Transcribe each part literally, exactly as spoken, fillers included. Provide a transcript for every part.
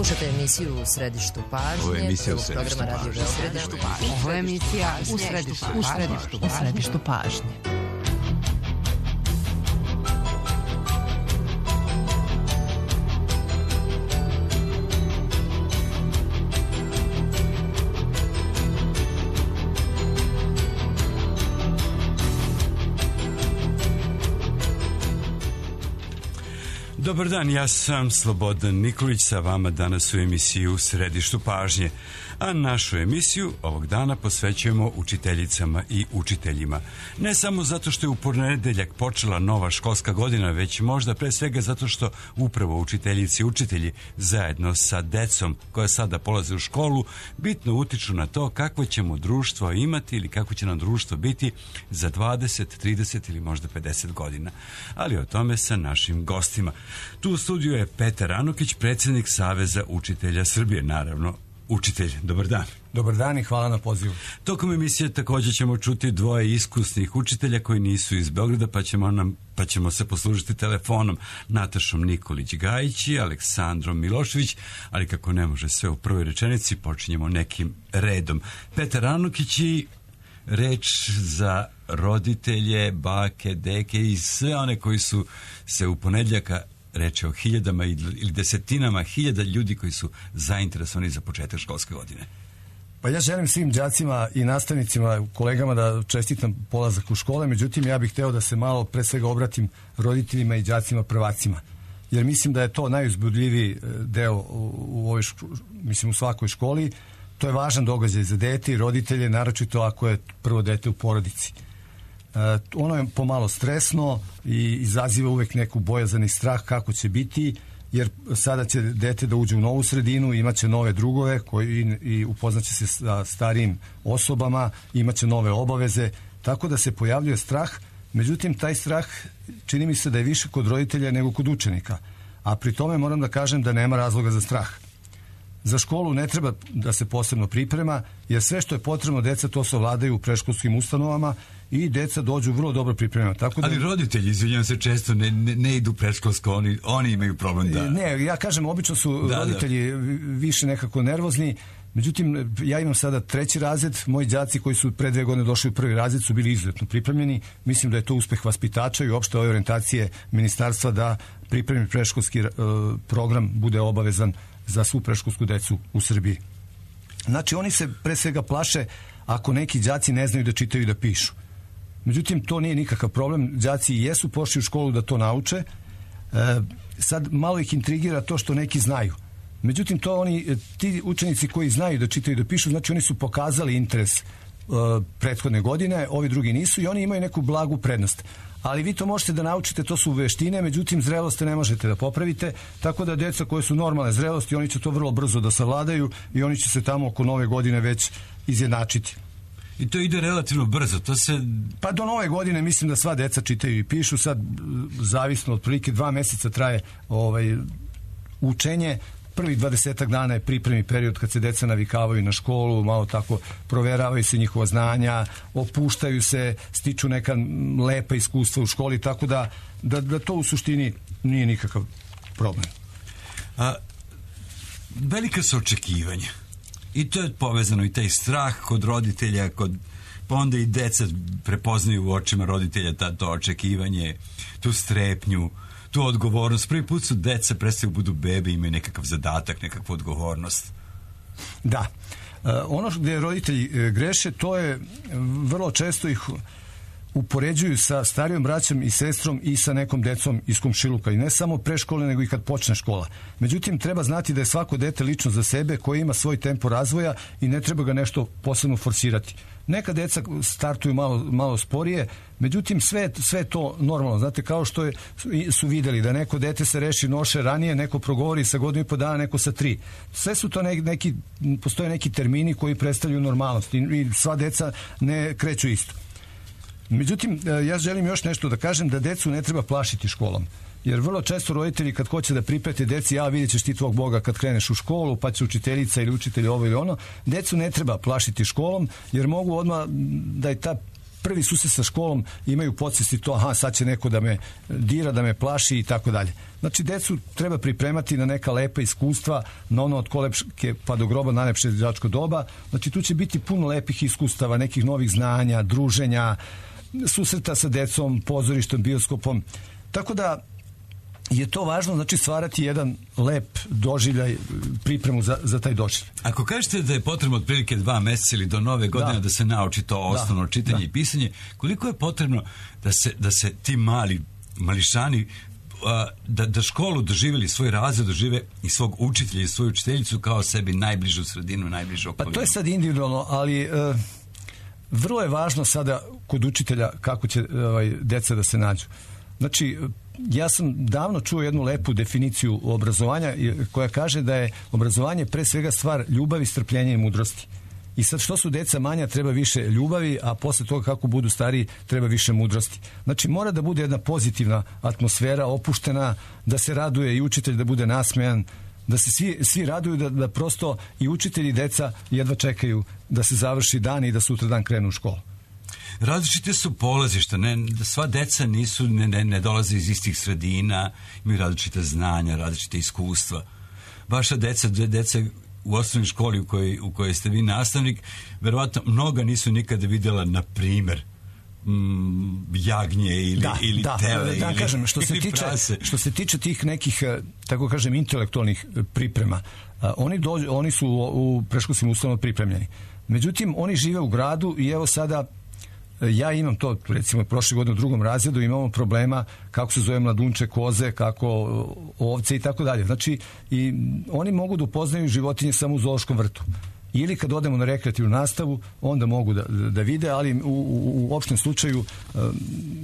Slušajte emisiju U središtu pažnje. Ovo je emisija U središtu pažnje. Ovo je emisija U središtu pažnje. U središtu pažnje. Dobar dan, ja sam Slobodan Nikolić, sa vama danas u emisiju U središtu pažnje. A našu emisiju ovog dana posvećujemo učiteljicama i učiteljima. Ne samo zato što je u ponedeljak počela nova školska godina, već možda pre svega zato što upravo učiteljici i učitelji zajedno sa decom koja sada polaze u školu bitno utiču na to kakvo ćemo društvo imati ili kako će nam društvo biti za dvadeset, trideset ili možda pedeset godina. Ali o tome sa našim gostima. Tu u studiju je Petar Anukić, predsjednik Saveza učitelja Srbije, naravno učitelj. Dobar dan. Dobar dan i hvala na pozivu. Tokom emisije također ćemo čuti dvoje iskusnih učitelja koji nisu iz Beograda, pa ćemo, nam, pa ćemo se poslužiti telefonom, Natašom Nikolić-Gajić i Aleksandrom Milošević, ali kako ne može sve u prvoj rečenici, počinjemo nekim redom. Petar Anukić i reč za roditelje, bake, deke i sve one koji su se u ponedjeljaka, reče o hiljadama ili desetinama hiljada ljudi koji su zainteresovani za početak školske godine. Pa ja želim svim đacima i nastavnicima, kolegama da čestitam polazak u škole, međutim ja bih hteo da se malo pre svega obratim roditeljima i đacima prvacima. Jer mislim da je to najuzbudljiviji deo u ovoj školi, mislim u svakoj školi. To je važan događaj za dete i roditelje, naročito ako je prvo dete u porodici. Uh, ono je pomalo stresno i izaziva uvek neku bojazan i strah kako će biti, jer sada će dete da uđe u novu sredinu, imaće nove drugove koji i, i upoznaće se sa starijim osobama, imaće nove obaveze, tako da se pojavljuje strah. Međutim, taj strah čini mi se da je više kod roditelja nego kod učenika, a pri tome moram da kažem da nema razloga za strah. Za školu ne treba da se posebno priprema, jer sve što je potrebno deca to se ovladaju u predškolskim ustanovama i deca dođu vrlo dobro pripremljena. Tako da... Ali roditelji, izvinjam se, često ne, ne, ne idu predškolsko, oni, oni imaju problem da... Ne, ja kažem, obično su da, roditelji da. više nekako nervozni. Međutim, ja imam sada treći razred, moji đaci koji su pre dve godine došli u prvi razred su bili izuzetno pripremljeni. Mislim da je to uspeh vaspitača i uopšte ove orijentacije ministarstva da pripremi predškolski uh, program bude obavezan za svu predškolsku decu u Srbiji. Znači, oni se pre svega plaše ako neki đaci ne znaju da čitaju i da pišu. Međutim, to nije nikakav problem. Đaci jesu pošli u školu da to nauče. E, sad malo ih intrigira to što neki znaju. Međutim, to oni, ti učenici koji znaju da čitaju i da pišu, znači oni su pokazali interes e, prethodne godine, ovi drugi nisu i oni imaju neku blagu prednost. Ali vi to možete da naučite, to su veštine, međutim zrelosti ne možete da popravite, tako da deca koje su normalne zrelosti, oni će to vrlo brzo da savladaju i oni će se tamo oko nove godine već izjednačiti. I to ide relativno brzo, to se... Pa do nove godine mislim da sva deca čitaju i pišu, sad zavisno, otprilike dva meseca traje ovaj, učenje. Prvih dvadesetak dana je pripremni period kad se deca navikavaju na školu, malo tako proveravaju se njihova znanja, opuštaju se, stiču neka lepa iskustva u školi, tako da, da, da to u suštini nije nikakav problem. A, velika su očekivanja. I to je povezano i taj strah kod roditelja, kod, pa onda i deca prepoznaju u očima roditelja ta, to očekivanje, tu strepnju, tu odgovornost. Prvi put su deca prestaju budu bebe, imaju nekakav zadatak, nekakvu odgovornost. Da. E, ono gdje roditelji greše, to je vrlo često ih upoređuju sa starijom braćom i sestrom i sa nekom decom iz komšiluka. I ne samo pre škole, nego i kad počne škola. Međutim, treba znati da je svako dete lično za sebe koje ima svoj tempo razvoja i ne treba ga nešto posebno forsirati. Neka deca startuju malo, malo sporije, međutim sve, sve to normalno. Znate, kao što je, su videli da neko dete se reši noše ranije, neko progovori sa godinu i po dana, neko sa tri. Sve su to neki, postoje neki termini koji predstavljaju normalnost i, i sva deca ne kreću isto. Međutim, ja želim još nešto da kažem, da decu ne treba plašiti školom. Jer vrlo često roditelji kad hoće da priprete deci, ja vidjet ćeš ti tvog Boga kad kreneš u školu, pa će učiteljica ili učitelj ovo ili ono, decu ne treba plašiti školom, jer mogu odmah da je ta prvi susret sa školom imaju podsvesti to, aha, sad će neko da me dira, da me plaši i tako dalje. Znači, decu treba pripremati na neka lepa iskustva, na ono od kolebke pa do groba, najlepše đačko doba. Znači, tu će biti puno lepih iskustava, nekih novih znanja, druženja, susreta sa decom, pozorištom, bioskopom. Tako da je to važno, znači stvarati jedan lep doživljaj, pripremu za, za taj doživljaj. Ako kažete da je potrebno otprilike dva meseca ili do nove godine da, da se nauči to osnovno da, čitanje da. i pisanje, koliko je potrebno da se, da se ti mali mališani da, da školu doživjeli, svoj razred dožive i svog učitelja i svoju učiteljicu kao sebi najbližu sredinu, najbližu okolinu? Pa to je sad individualno, ali e, vrlo je važno sada kod učitelja kako će ovaj, deca da se nađu. Znači, ja sam davno čuo jednu lepu definiciju obrazovanja koja kaže da je obrazovanje pre svega stvar ljubavi, strpljenja i mudrosti. I sad što su deca manja treba više ljubavi, a posle toga kako budu stariji treba više mudrosti. Znači mora da bude jedna pozitivna atmosfera, opuštena, da se raduje i učitelj da bude nasmejan, da se svi, svi raduju, da, da prosto i učitelji i deca jedva čekaju da se završi dan i da sutra dan krenu u školu. Različite su polazišta, ne, sva deca nisu, ne, ne, ne dolaze iz istih sredina, imaju različite znanja, različite iskustva. Vaša deca, dve deca u osnovnoj školi u kojoj, u kojoj ste vi nastavnik, verovatno mnoga nisu nikada vidjela, na primer, mm, jagnje ili, da, ili da, tele da, ili, kažem, što se ili tiče, prase. Što se tiče tih nekih, tako kažem, intelektualnih priprema, oni, dođu, oni su u, u predškolskim ustanovama pripremljeni. Međutim, oni žive u gradu i evo sada ja imam to, recimo, prošle godine u drugom razredu imamo problema kako se zove mladunče, koze, kako ovce i tako dalje. Znači, i oni mogu da upoznaju životinje samo u zoološkom vrtu. Ili kad odemo na rekreativnu nastavu, onda mogu da, da vide, ali u, u, u opštem slučaju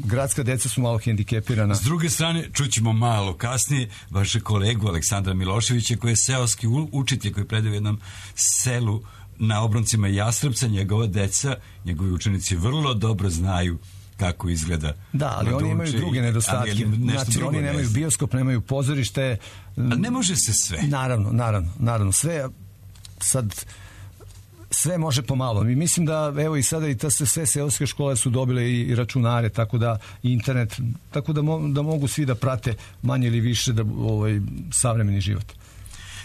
gradska deca su malo hendikepirana. S druge strane, čućemo malo kasnije vaše kolegu Aleksandra Miloševića, koji je seoski učitelj, koji predaje u jednom selu na obroncima Jastrebca. Njegova deca, njegovi učenici vrlo dobro znaju kako izgleda. Da, ali oni imaju druge nedostatke. Znači, oni nemaju bioskop, nemaju pozorište. Ali ne može se sve. Naravno, naravno, naravno. Sve, sad, sve može pomalo. Mi mislim da, evo i sada i ta sve seoske škole su dobile i, i računare, tako da i internet, tako da, mo, da mogu svi da prate manje ili više da, ovaj, savremeni život.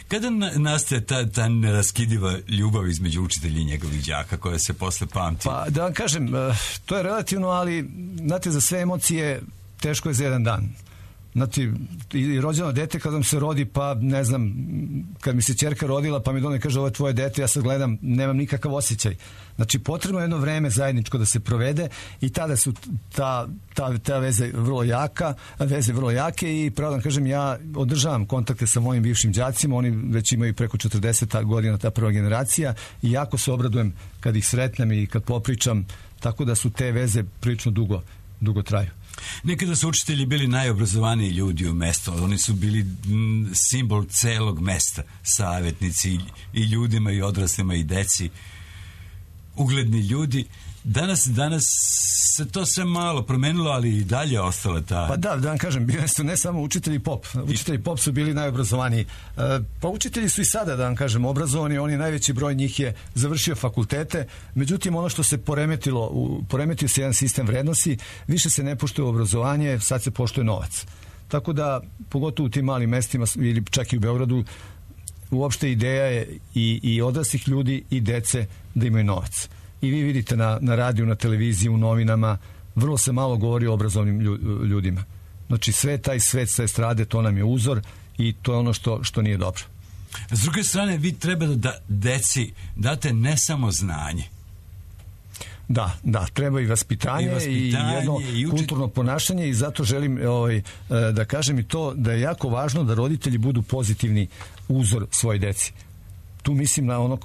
Kada nastaje ta, ta neraskidiva ljubav između učitelja i njegovih đaka koja se posle pamti? Pa da vam kažem, to je relativno, ali znate, za sve emocije teško je za jedan dan. Znači, i rođeno dete kad vam se rodi, pa ne znam, kad mi se ćerka rodila, pa mi done kaže ovo je tvoje dete, ja sad gledam, nemam nikakav osjećaj. Znači, potrebno je jedno vreme zajedničko da se provede i tada su ta, ta, ta veze vrlo jaka, veze vrlo jake i pravo da kažem, ja održavam kontakte sa mojim bivšim đacima, oni već imaju preko četrdeset godina, ta prva generacija, i jako se obradujem kad ih sretnem i kad popričam, tako da su te veze prilično dugo, dugo traju. Nekada su učitelji bili najobrazovaniji ljudi u mestu, oni su bili m, simbol celog mesta, savjetnici i, i ljudima i odraslima i deci, ugledni ljudi. Danas, danas se to sve malo promenilo, ali i dalje ostala ta... Pa da, da vam kažem, bili su ne samo učitelji pop. Učitelji pop su bili najobrazovaniji. E, pa učitelji su i sada, da vam kažem, obrazovani. Oni, najveći broj njih je završio fakultete. Međutim, ono što se poremetilo, u, poremetio se jedan sistem vrednosti, više se ne poštuje obrazovanje, sad se poštuje novac. Tako da, pogotovo u tim malim mestima ili čak i u Beogradu, uopšte ideja je i, i odraslih ljudi i dece da imaju novac. I vi vidite na, na radiju, na televiziji, u novinama, vrlo se malo govori o obrazovnim ljudima. Znači, sve taj svet sa estrade, to nam je uzor i to je ono što, što nije dobro. S druge strane, vi treba da deci date ne samo znanje. Da, da, treba i vaspitanje i, vaspitanje, i jedno i uči... kulturno ponašanje, i zato želim ovaj, da kažem i to da je jako važno da roditelji budu pozitivni uzor svoje deci. Tu mislim na ono,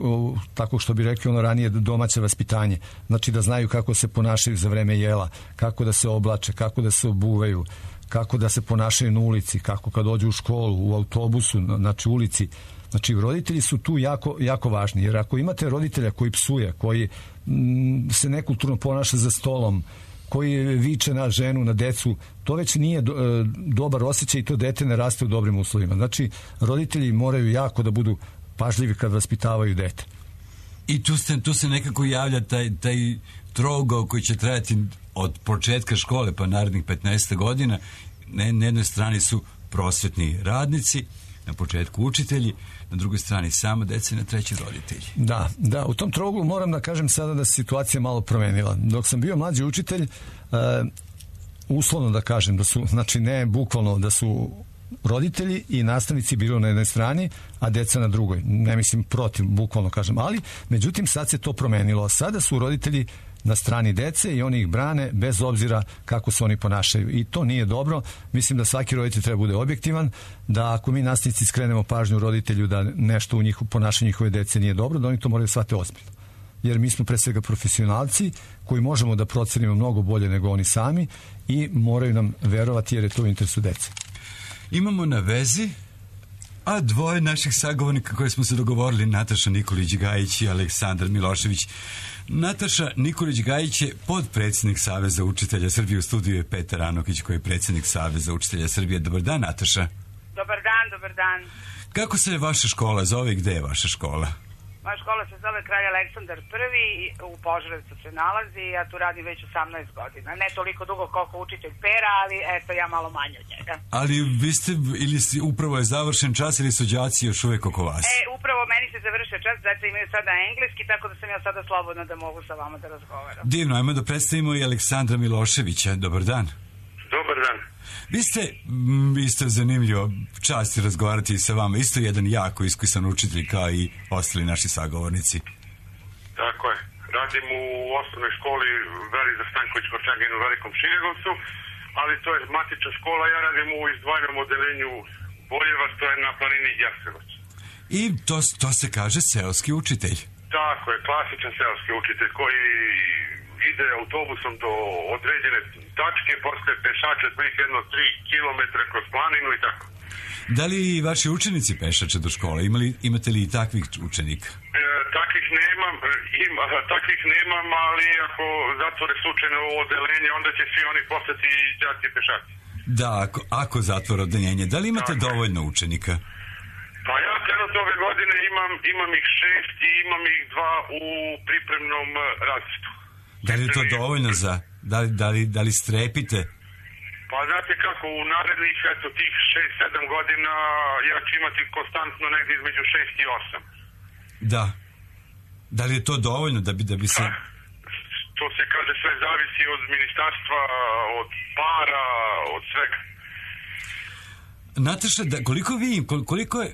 tako što bi rekli ono ranije, domaće vaspitanje. Znači da znaju kako se ponašaju za vreme jela, kako da se oblače, kako da se obuvaju, kako da se ponašaju na ulici, kako kad dođu u školu, u autobusu, znači ulici. Znači roditelji su tu jako, jako važni, jer ako imate roditelja koji psuje, koji m, se nekulturno ponaša za stolom, koji viče na ženu, na decu, to već nije do, e, dobar osjećaj i to dete ne raste u dobrim uslovima. Znači roditelji moraju jako da budu pažljivi kad vaspitavaju dete. I tu, ste, tu se nekako javlja taj, taj, trougao koji će trajati od početka škole pa narednih petnaest godina. Ne, na jednoj strani su prosvetni radnici, na početku učitelji, na drugoj strani sama deca i na treći roditelji. Da, da, u tom trouglu moram da kažem sada da se situacija malo promenila. Dok sam bio mlađi učitelj, uh, uslovno da kažem, da su, znači ne bukvalno, da su roditelji i nastavnici bili na jednoj strani, a deca na drugoj. Ne mislim protiv, bukvalno kažem, ali međutim sad se to promenilo. Sada su roditelji na strani dece i oni ih brane bez obzira kako se oni ponašaju. I to nije dobro. Mislim da svaki roditelj treba bude objektivan, da ako mi nastavnici skrenemo pažnju roditelju da nešto u njihovu ponašanju njihove dece nije dobro, da oni to moraju shvatiti ozbiljno. Jer mi smo pre svega profesionalci koji možemo da procenimo mnogo bolje nego oni sami i moraju nam verovati jer je to u interesu dece. Imamo na vezi a dvoje naših sagovornika koje smo se dogovorili, Nataša Nikolić-Gajić i Aleksandar Milošević. Nataša Nikolić-Gajić je podpredsjednik Saveza učitelja Srbije. U studiju je Petar Anokić koji je predsjednik Saveza učitelja Srbije. Dobar dan, Nataša. Dobar dan, dobar dan. Kako se vaša škola zove i gde je vaša škola? Moja škola se zove Kralj Aleksandar prvi, u Požarevcu se nalazi, ja tu radim već osamnaest godina. Ne toliko dugo koliko učitelj Pera, ali eto ja malo manje od njega. Ali vi ste, ili ste, upravo je završen čas ili su đaci još uvek oko vas? E, upravo meni se završio čas, deca imaju sada engleski, tako da sam ja sada slobodna da mogu sa vama da razgovaram. Divno, ajmo da predstavimo i Aleksandra Miloševića. Dobar dan. Dobar dan. Vi ste, m, isto zanimljivo, čast je razgovarati sa vama, isto jedan jako iskusan učitelj kao i ostali naši sagovornici. Tako je. Radim u osnovnoj školi Veriza Stanković-Korčagin u Velikom Širegovcu, ali to je matična škola, ja radim u izdvojenom odeljenju Boljevac, to je na planini Jasevac. I to, to se kaže seoski učitelj. Tako je, klasičan seoski učitelj koji ide autobusom do određene tačke, posle pešače otprilike jedno tri kilometra kroz planinu i tako. Da li vaši učenici pešače do škole? Imali, imate li i takvih učenika? E, takvih nemam, ima, takvih nemam, ali ako zatvore slučajno ovo odeljenje, onda će svi oni postati đaci pešaci. Da, ako, ako zatvore odeljenje. Da li imate tako dovoljno učenika? Pa ja trenutno ove godine imam, imam ih šest i imam ih dva u pripremnom razredu. Da li je to dovoljno za... Da li, da li, da li strepite? Pa znate kako, u narednih eto tih šest sedam godina ja ću imati konstantno negdje između šest i osam. Da. Da li je to dovoljno da bi, da bi se... Pa, to se kaže sve zavisi od ministarstva, od para, od svega. Nataša, da, koliko vi, koliko je,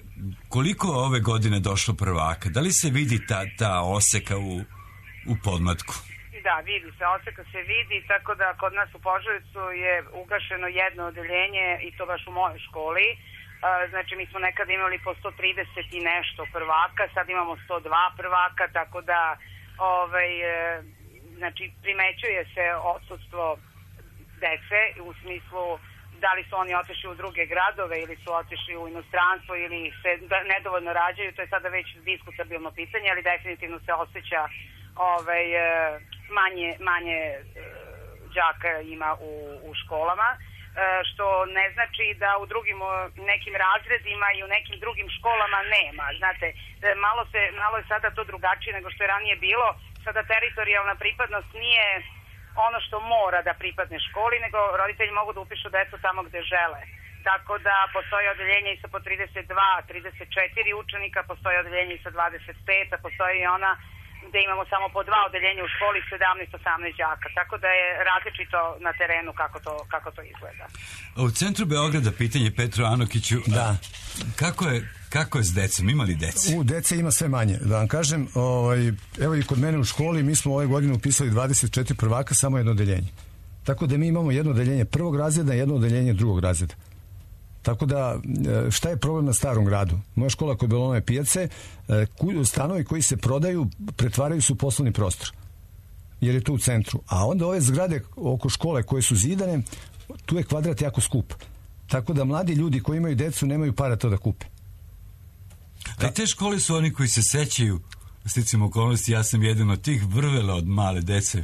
koliko ove godine došlo prvaka? Da li se vidi ta, ta oseka u, u podmlatku? Da, vidi se, oseka se vidi, tako da kod nas u Požarevcu je ugašeno jedno odeljenje i to baš u mojoj školi. Znači, mi smo nekada imali po sto trideset i nešto prvaka, sad imamo sto dva prvaka, tako da ovaj, znači, primećuje se odsustvo dece u smislu da li su oni otišli u druge gradove ili su otišli u inostranstvo ili se nedovoljno rađaju, to je sada već diskutabilno pitanje, ali definitivno se osjeća ovaj, manje, manje đaka ima u, u školama, što ne znači da u drugim nekim razredima i u nekim drugim školama nema. Znate, malo, se, malo je sada to drugačije nego što je ranije bilo. Sada teritorijalna pripadnost nije ono što mora da pripadne školi, nego roditelji mogu da upišu decu tamo gde žele. Tako da postoje odeljenje i sa po trideset dva, trideset četiri učenika, postoje odeljenje i sa dvadeset pet, a postoji i ona gde imamo samo po dva odeljenja u školi, sedamnaest osamnaest đaka. Tako da je različito na terenu kako to, kako to izgleda. U centru Beograda pitanje Petru Anokiću. Da. Kako je, kako je s decom? Ima li dece? U dece ima sve manje. Da vam kažem, ovaj, evo i kod mene u školi mi smo ove godine upisali dvadeset četiri prvaka, samo jedno odeljenje. Tako da mi imamo jedno odeljenje prvog razreda i jedno odeljenje drugog razreda. Tako da, šta je problem na Starom gradu? Moja škola kod Belonove pijace, stanovi koji se prodaju, pretvaraju se u poslovni prostor. Jer je to u centru. A onda ove zgrade oko škole koje su zidane, tu je kvadrat jako skup. Tako da mladi ljudi koji imaju decu nemaju para to da kupe. A te škole su oni koji se sećaju, sticamo okolnosti, ja sam jedan od tih vrvela od male dece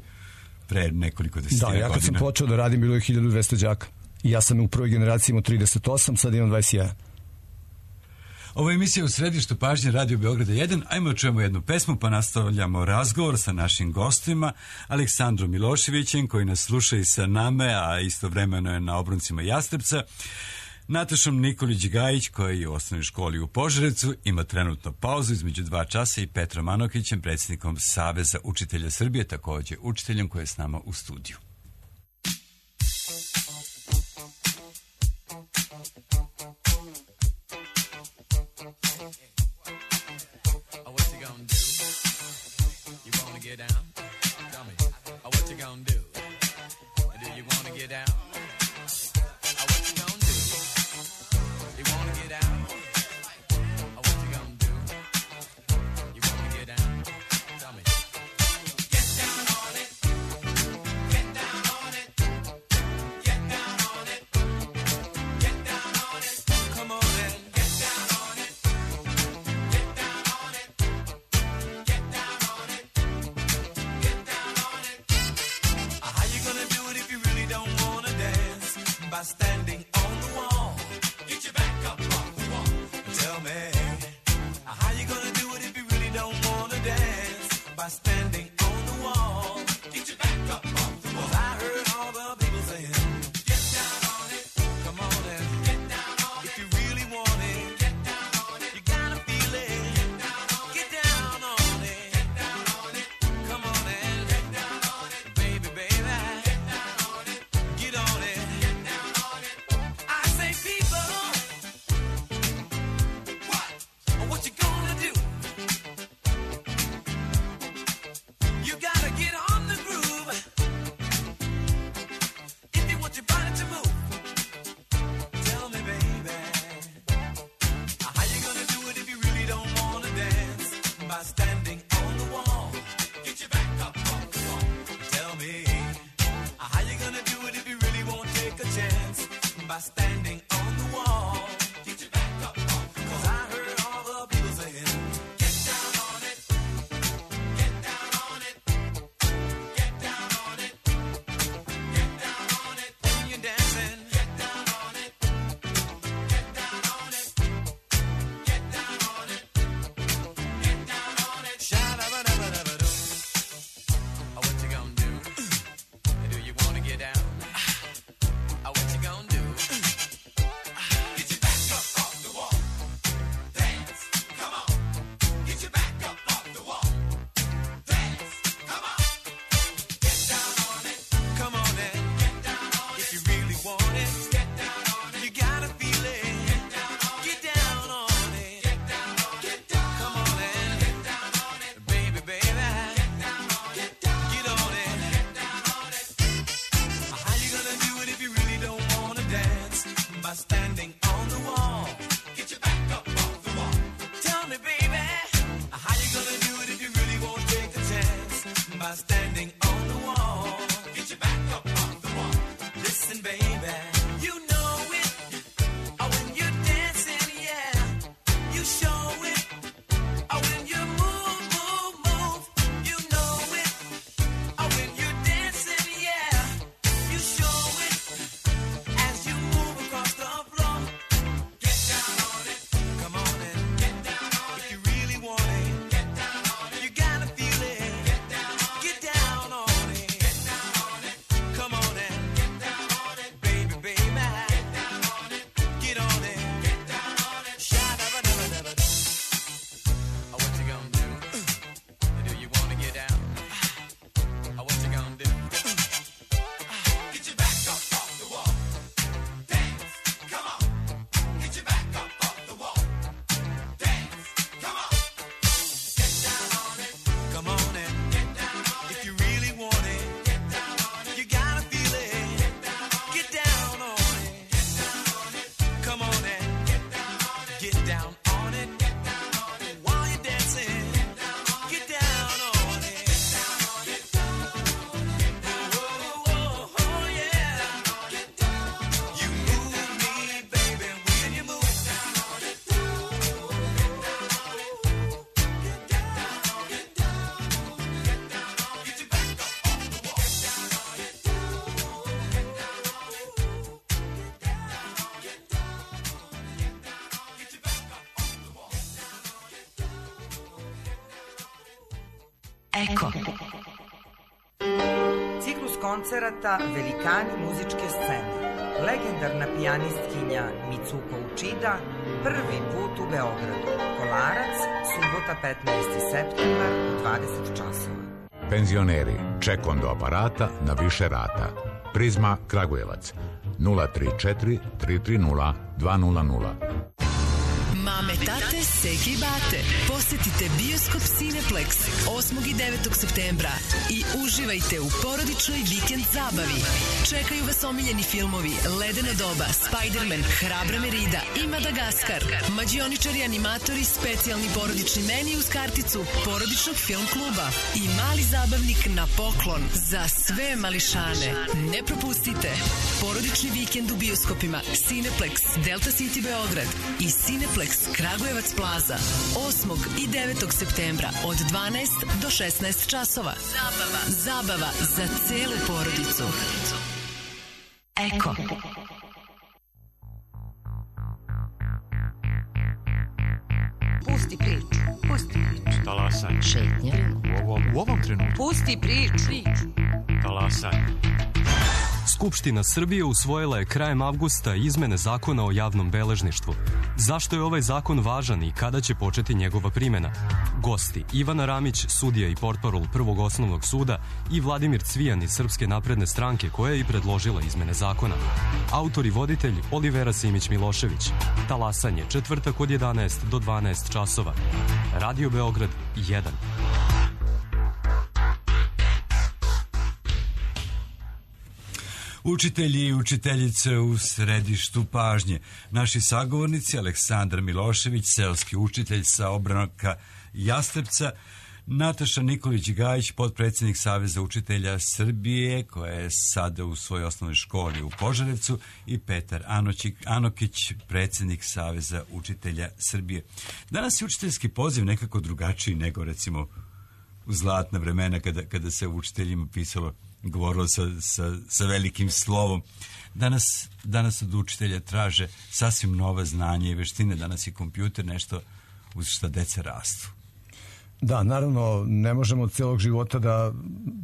pre nekoliko desetina godina. Da, ja kad sam počeo da radim bilo je hiljadu dvesta đaka. I ja sam u prvoj generaciji imao trideset osam, sad imam dvadeset jedan. Ovo je emisija U središtu pažnje Radio Beograda jedan. Ajmo čujemo jednu pesmu pa nastavljamo razgovor sa našim gostima Aleksandrom Miloševićem koji nas sluša i sa nama, a istovremeno je na obroncima Jastrebca. Natašom Nikolić-Gajić koji je u osnovnoj školi u Požarevcu, ima trenutno pauzu između dva časa, i Petrom Anokićem, predsjednikom Saveza učitelja Srbije, također učiteljem koji je s nama u studiju. Get Eko. Ciklus koncerata Velikani muzičke scene. Legendarna pijanistkinja Mitsuko Uchida prvi put u Beogradu. Kolarac, subota petnaesti septembar u dvadeset časova. Penzioneri, ček kondo aparata na više rata. Prizma Kragujevac nula tri četiri tri tri nula dva nula nula. Mame, tate, seke i bate, posetite Bioskop Cineplex osmog i devetog septembra i uživajte u porodičnoj vikend zabavi. Čekaju vas omiljeni filmovi Ledeno doba, Spider-Man, Hrabra Merida i Madagaskar. Mađioničari, animatori, specijalni porodični meni uz karticu porodičnog film kluba i mali zabavnik na poklon za sve mališane. Ne propustite porodični vikend u bioskopima Cineplex, Delta City Beograd i Cineplex Kragujevac Plaza osmog i devetog septembra od dvanaest do šesnaest časova. Zabava, zabava za celu porodicu. Eko. Pusti priču, pusti priču. Talasaj. Šetnja. U ovom, u ovom trenutku. Pusti priču. Talasaj. Skupština Srbije usvojila je krajem avgusta izmene zakona o javnom beležništvu. Zašto je ovaj zakon važan i kada će početi njegova primjena? Gosti Ivana Ramić, sudija i portparol Prvog osnovnog suda i Vladimir Cvijan iz Srpske napredne stranke koja je i predložila izmene zakona. Autor i voditelj Olivera Simić-Milošević. Talasanje, četvrtak od jedanaest do dvanaest časova. Radio Beograd jedan. Učitelji i učiteljice u središtu pažnje. Naši sagovornici Aleksandar Milošević, seoski učitelj sa obranaka Jastrebca, Nataša Nikolić-Gajić, potpredsjednik Saveza učitelja Srbije, koja je sada u svojoj osnovnoj školi u Požarevcu, i Petar Anokić, predsjednik Saveza učitelja Srbije. Danas je učiteljski poziv nekako drugačiji nego recimo u zlatna vremena kada, kada se učiteljima pisalo, govorilo sa, sa, sa velikim slovom. Danas, danas od učitelja traže sasvim nova znanja i veštine. Danas je kompjuter nešto uz šta deca rastu. Da, naravno, ne možemo od celog života da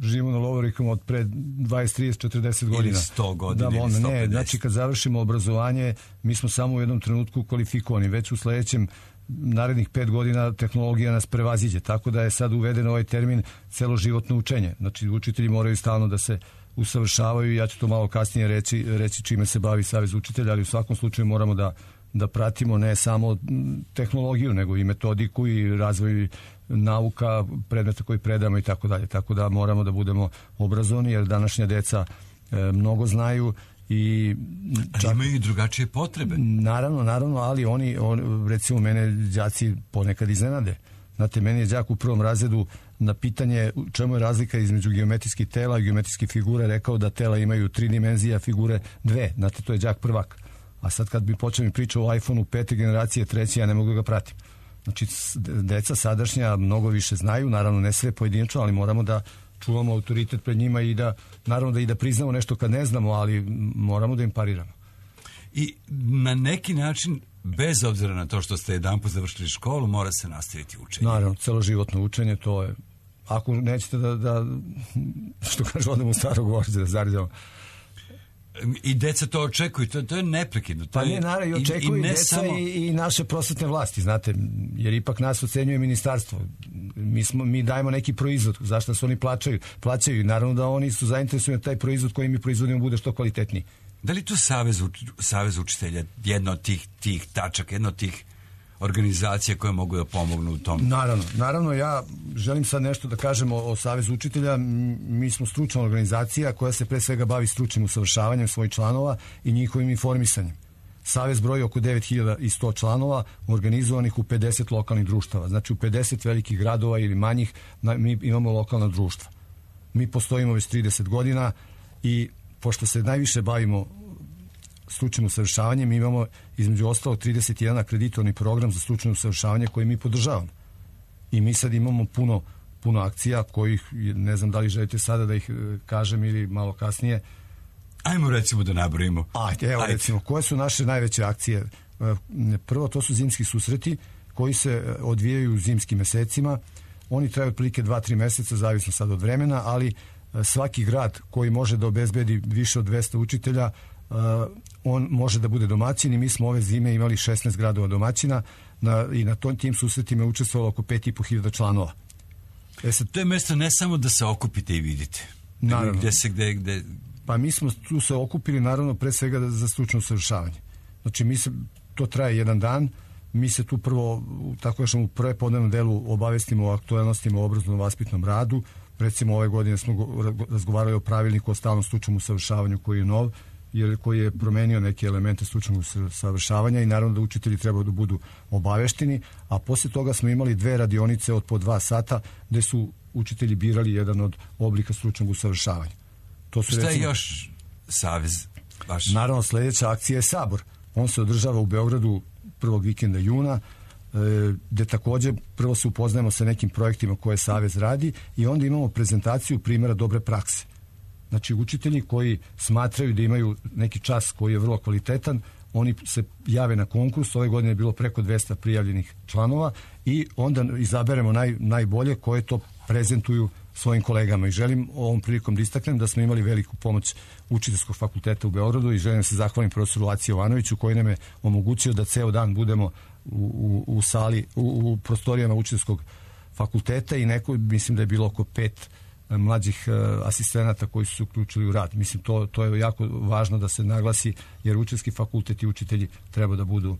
živimo na lovorikama od pre dvadeset, trideset, četrdeset godina. Ili sto godina, da, ili on, sto ne, pedeset. znači, kad završimo obrazovanje, mi smo samo u jednom trenutku kvalifikovani. Već u sledećem narednih pet godina tehnologija nas prevaziđe, tako da je sad uveden ovaj termin celoživotno učenje. Znači, učitelji moraju stalno da se usavršavaju i ja ću to malo kasnije reći, reći čime se bavi Savez učitelja, ali u svakom slučaju moramo da, da pratimo ne samo tehnologiju, nego i metodiku i razvoj nauka, predmeta koji predamo i tako dalje. Tako da moramo da budemo obrazovani, jer današnja deca e, mnogo znaju i čak, ali imaju i drugačije potrebe. Naravno, naravno, ali oni, on, recimo, mene đaci ponekad iznenade. Znate, meni je đak u prvom razredu na pitanje čemu je razlika između geometrijskih tela i geometrijskih figura rekao da tela imaju tri dimenzije, a figure dve. Znate, to je đak prvak. A sad kad bi počeo mi pričao o iPhoneu pete generacije, treće, ja ne mogu da ga pratim. Znači, deca sadašnja mnogo više znaju, naravno ne sve pojedinačno, ali moramo da čuvamo autoritet pred njima i da, naravno da i da priznamo nešto kad ne znamo, ali moramo da im pariramo. I na neki način, bez obzira na to što ste jedanput završili školu, mora se nastaviti učenje. Naravno, celoživotno učenje, to je, ako nećete da, da što kaže, odemo u staro govorite, da zaridamo. I deca to očekuju, to, to je neprekidno. To pa ne, je, naravno, i očekuju i, i deca samo... i, i naše prosvetne vlasti, znate, jer ipak nas ocenjuje ministarstvo. Mi, smo, mi dajemo neki proizvod, zašto se oni plaćaju, plaćaju i naravno da oni su zainteresovani da taj proizvod koji mi proizvodimo bude što kvalitetniji. Da li tu Savez, Savez učitelja jedna od tih, tih tačaka, jedna od tih organizacija koje mogu da pomognu u tom? Naravno, naravno, ja želim sad nešto da kažem o, o Savezu učitelja. Mi smo stručna organizacija koja se pre svega bavi stručnim usavršavanjem svojih članova i njihovim informisanjem. Savez broji oko devet hiljada sto članova organizovanih u pedeset lokalnih društava. Znači u pedeset velikih gradova ili manjih mi imamo lokalna društva. Mi postojimo već trideset godina i pošto se najviše bavimo stručnim usavršavanjem, mi imamo između ostalo trideset jedan akreditovani program za stručno usavršavanje koji mi podržavamo. I mi sad imamo puno, puno akcija kojih, ne znam da li želite sada da ih kažem ili malo kasnije. Ajmo recimo da nabrojimo. A, evo Ajde. recimo, koje su naše najveće akcije? Prvo, to su zimski susreti koji se odvijaju u zimskim mesecima. Oni traju otprilike dva do tri meseca, zavisno sad od vremena, ali svaki grad koji može da obezbedi više od dvesta učitelja, on može da bude domaćin i mi smo ove zime imali šesnaest gradova domaćina na, i na tom, tim susretima je učestvovalo oko pet i po hiljada članova. E sad, to je mesto ne samo da se okupite i vidite. Naravno. Gde se, gde, gde... Pa mi smo tu se okupili naravno pre svega za stručno usavršavanje. Znači mi se, to traje jedan dan, mi se tu prvo, tako kažem, u prve podnevnom delu obavestimo o aktualnostima o obrazovno-vaspitnom radu. Recimo ove godine smo razgovarali o pravilniku o stalnom stručnom usavršavanju koji je nov, jer koji je promenio neke elemente stručnog usavršavanja i naravno da učitelji trebaju da budu obavešteni, a posle toga smo imali dve radionice od po dva sata gde su učitelji birali jedan od oblika stručnog usavršavanja. To su, šta recimo, je još Savez? Baš? Naravno, sledeća akcija je Sabor. On se održava u Beogradu prvog vikenda juna, gde takođe prvo se upoznajemo sa nekim projektima koje Savez radi i onda imamo prezentaciju primjera dobre prakse. Znači, učitelji koji smatraju da imaju neki čas koji je vrlo kvalitetan, oni se jave na konkurs, ove godine je bilo preko dvesta prijavljenih članova i onda izaberemo naj, najbolje koje to prezentuju svojim kolegama. I želim ovom prilikom da istaknem da smo imali veliku pomoć Učiteljskog fakulteta u Beogradu i želim da se zahvalim profesoru Laciji Jovanoviću koji nam je omogućio da ceo dan budemo u, u, u sali, u, u prostorijama Učiteljskog fakulteta i neko, mislim da je bilo oko pet mlađih uh, asistenata koji su se uključili u rad. Mislim, to, to je jako važno da se naglasi, jer učiteljski fakultet i učitelji treba da budu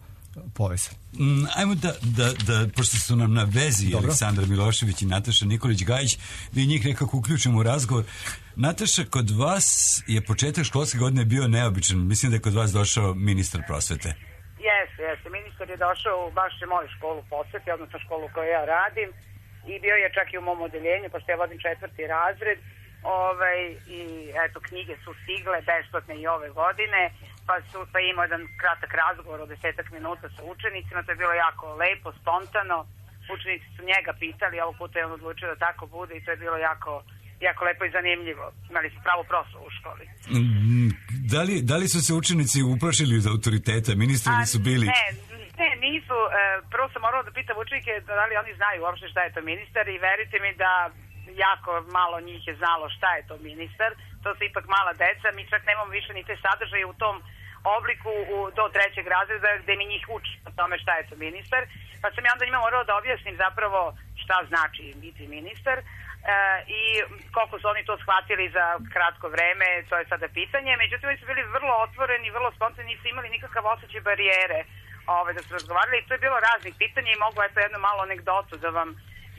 povezani. Mm, ajmo da, da, da, pošto su nam na vezi Dobro. Aleksandar Milošević i Nataša Nikolić-Gajić, da i njih nekako uključimo u razgovor. Nataša, kod vas je početak školske godine bio neobičan. Mislim da je kod vas došao ministar prosvete. Jeste, jeste. Ministar je došao u baš moju školu posveti, odnosno školu koju ja radim. I bio je čak i u mom odeljenju, pošto ja vodim četvrti razred, ovaj, i eto, knjige su stigle besplatne i ove godine, pa, su, pa imao jedan kratak razgovor od desetak minuta sa učenicima, to je bilo jako lepo, spontano, učenici su njega pitali, ovog puta je on odlučio da tako bude i to je bilo jako, jako lepo i zanimljivo. Imali su pravu proslavu u školi. Da li, da li su se učenici uplašili od autoriteta? Ministri li su bili? Ne, Ne, nisu. E, prvo sam morala da pitam učenike da li oni znaju uopšte šta je to ministar i verite mi da jako malo njih je znalo šta je to ministar. To su ipak mala deca, mi čak nemamo više ni te sadržaje u tom obliku u, do trećeg razreda gde mi njih uči o tome šta je to ministar. Pa sam ja onda njima morala da objasnim zapravo šta znači biti ministar. E, i koliko su oni to shvatili za kratko vreme, to je sada pitanje. Međutim, oni su bili vrlo otvoreni, vrlo spontani, nisu imali nikakav osjećaj barijere Ove, da su razgovarali i to je bilo raznih pitanja i mogu eto jednu malu anegdotu da vam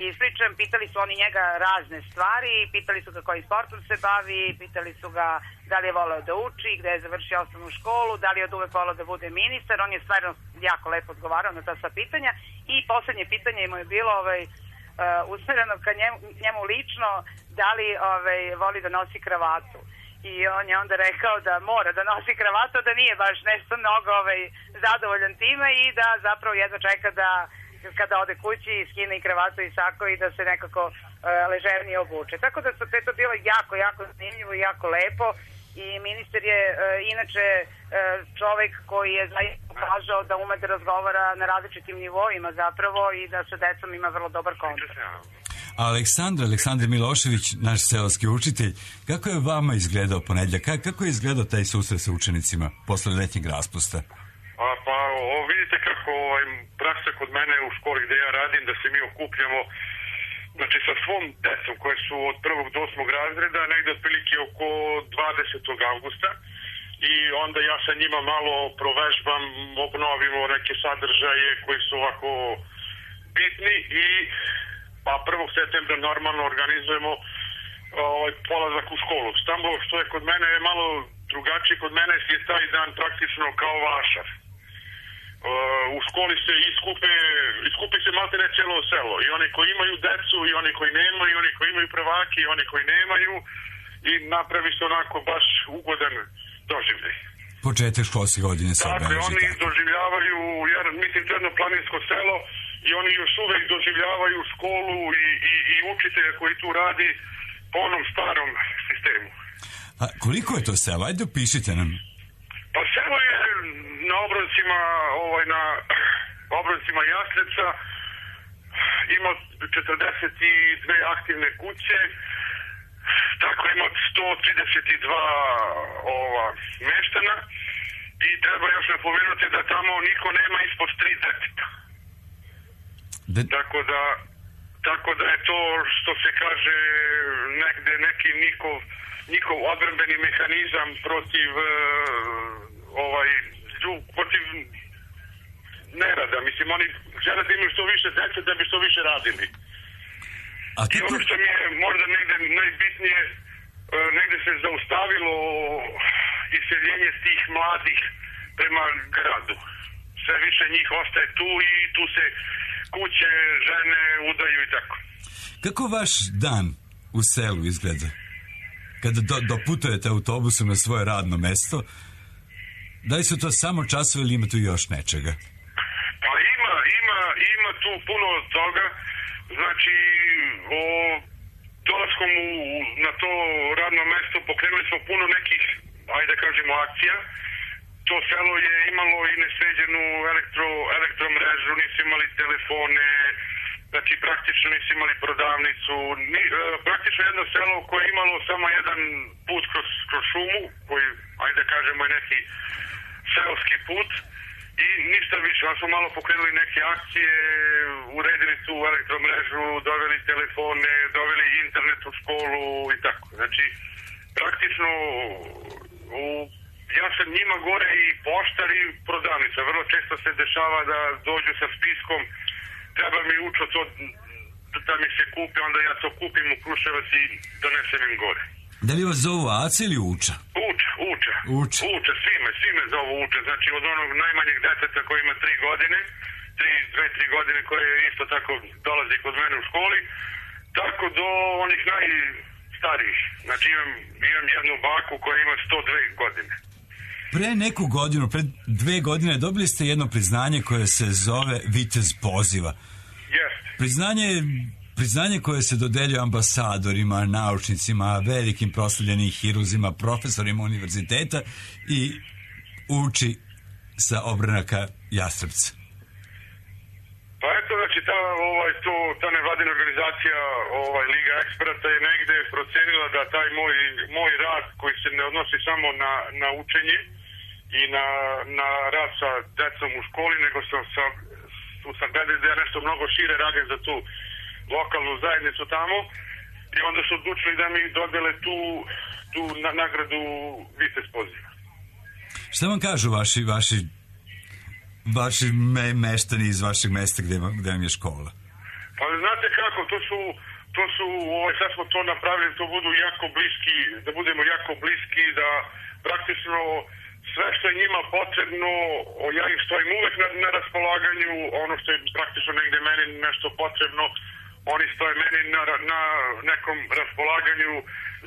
ispričam. Pitali su oni njega razne stvari, pitali su ga kojim sportom se bavi, pitali su ga da li je voleo da uči, gde je završio osnovnu školu, da li je od uvek voleo da bude ministar. On je stvarno jako lepo odgovarao na ta sva pitanja i poslednje pitanje mu je bilo ovaj, uh, usmereno ka njemu, njemu lično, da li ovaj, voli da nosi kravatu. I on je onda rekao da mora da nosi kravatu, da nije baš nešto mnogo ovaj, zadovoljan time i da zapravo jedva čeka da kada ode kući skine i kravatu i sako i da se nekako uh, ležernije obuče. Tako da su to bilo jako, jako zanimljivo i jako lepo i ministar je uh, inače uh, čovek koji je zaista pokazao da ume da razgovara na različitim nivoima zapravo i da sa decom ima vrlo dobar kontakt. Aleksandar, Aleksandar Milošević, naš seoski učitelj, kako je vama izgledao ponedjeljak? Kako je izgledao taj susret sa učenicima posle letnjeg raspusta? A, pa o, vidite kako ovaj, praksa kod mene u školi gde ja radim, da se mi okupljamo znači sa svom decom koje su od prvog do osmog razreda, negde otprilike oko dvadesetog avgusta i onda ja sa njima malo provežbam, obnovimo neke sadržaje koji su ovako bitni i pa prvog septembra normalno organizujemo ovaj, polazak u školu. Samo što je kod mene je malo drugačije, kod mene je taj dan praktično kao vašar. Uh, u školi se iskupe, iskupi se malte ne cijelo selo. I oni koji imaju decu, i oni koji nemaju, i oni koji imaju prvake, i oni koji nemaju. I napravi se onako baš ugodan doživljaj. Početak školske godine se obeleži. Dakle, oni doživljavaju, jer mislim to jedno planinsko selo, i oni još uvek doživljavaju školu i, i, i učitelja koji tu radi po onom starom sistemu. A koliko je to selo? Ajde opišite nam. Pa selo je na obroncima, ovaj, na obroncima Jasneca ima četrdeset dve aktivne kuće, tako ima sto trideset dva ova, meštana i treba još napomenuti da tamo niko nema ispod tri deteta. De... Tako da tako da je to što se kaže negde neki njihov, njihov odbrambeni mehanizam protiv uh, ovaj protiv nerada. Mislim, oni žele da imaju što više dece da bi što više radili. A I ono što mi je možda negde najbitnije, uh, negde se zaustavilo iseljenje tih mladih prema gradu. Sve više njih ostaje tu i tu se kuće, žene udaju i tako. Kako vaš dan u selu izgleda? Kada do, doputujete autobusom na svoje radno mesto, da li su to samo časovi ili ima tu još nečega? Pa ima, ima, ima tu puno toga. Znači, o dolaskom u, na to radno mesto pokrenuli smo puno nekih, ajde da kažemo, akcija. To selo je imalo i nesređenu elektro, elektromrežu, nisu imali telefone, znači praktično nisu imali prodavnicu. Ni, e, praktično jedno selo koje je imalo samo jedan put kroz, kroz šumu, koji, ajde da kažemo, je neki seoski put i ništa više. Onda smo malo pokrenuli neke akcije, uredili tu elektromrežu, doveli telefone, doveli internet u školu i tako. Znači, praktično u ja sam njima gore i poštar i prodavnica. Vrlo često se dešava da dođu sa spiskom, treba mi učo to da mi se kupi, onda ja to kupim u Kruševac i donesem im gore. Da li vas zovu Aca ili Uča? Uča, Uča. Uča. Uča, svi me, svi me zovu Uča. Znači od onog najmanjeg deteta koji ima tri godine, tri, dve, tri godine koje isto tako dolazi kod mene u školi, tako do onih najstarijih. Znači imam, imam jednu baku koja ima sto dve godine. Pre neku godinu, pre dve godine, dobili ste jedno priznanje koje se zove Vitez poziva. Jeste. Priznanje, priznanje koje se dodeljuje ambasadorima, naučnicima, velikim proslavljenim hiruzima, profesorima univerziteta i uči sa obranaka Jastrebca. Pa eto, znači, ta, ovaj, to, ta nevladina organizacija ovaj, Liga eksperata je negde procenila da taj moj, moj rad koji se ne odnosi samo na, na učenje i na, na rad sa decom u školi, nego sam, sam, sam gledali da ja nešto mnogo šire radim za tu lokalnu zajednicu tamo i onda su odlučili da mi dodele tu, tu na, nagradu Vitez poziva. Šta vam kažu vaši, vaši vaši me, meštani iz vašeg mesta gde, gde vam je škola? Pa znate kako, to su, to su ovaj, sad smo to napravili, to budu jako bliski, da budemo jako bliski, da praktično sve što je njima potrebno, ja im stojim uvek na, na raspolaganju, ono što je praktično negde meni nešto potrebno, oni stoje meni na, na nekom raspolaganju,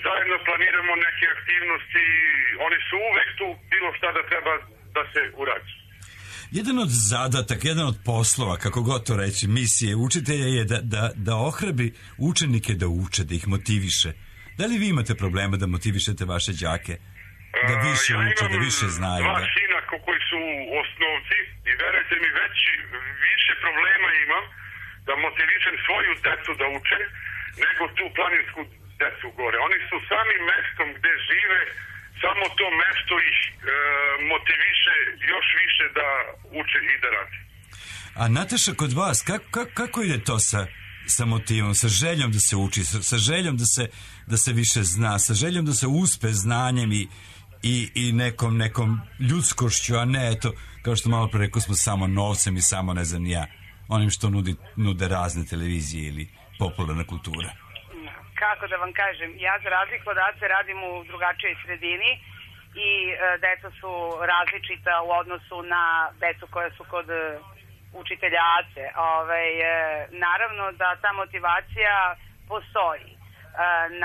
zajedno planiramo neke aktivnosti, oni su uvek tu, bilo šta da treba da se uradi. Jedan od zadataka, jedan od poslova, kako god to reći, misije učitelja je da, da, da ohrabri učenike da uče, da ih motiviše. Da li vi imate problema da motivišete vaše đake? Da više ja uče, da više znaju? Dva da... sina koji su osnovci i verujte mi, već više problema imam da motivišem svoju decu da uče nego tu planinsku decu gore. Oni su sami mestom gde žive, samo to mesto ih e, motiviše još više da uče i da radi. A Nataša, kod vas, kako, kako, kako ide to sa, sa motivom, sa željom da se uči, sa, sa željom da se, da se više zna, sa željom da se uspe znanjem i, i, i nekom, nekom ljudskošću, a ne, eto, kao što malo pre rekao smo, samo novcem i samo, ne znam, ja, onim što nudi, nude razne televizije ili popularna kultura? Kako da vam kažem, ja za razliku od Ace radim u drugačijoj sredini i e, deca su različita u odnosu na decu koja su kod e, učitelja Ace. Ove, e, naravno da ta motivacija postoji. E,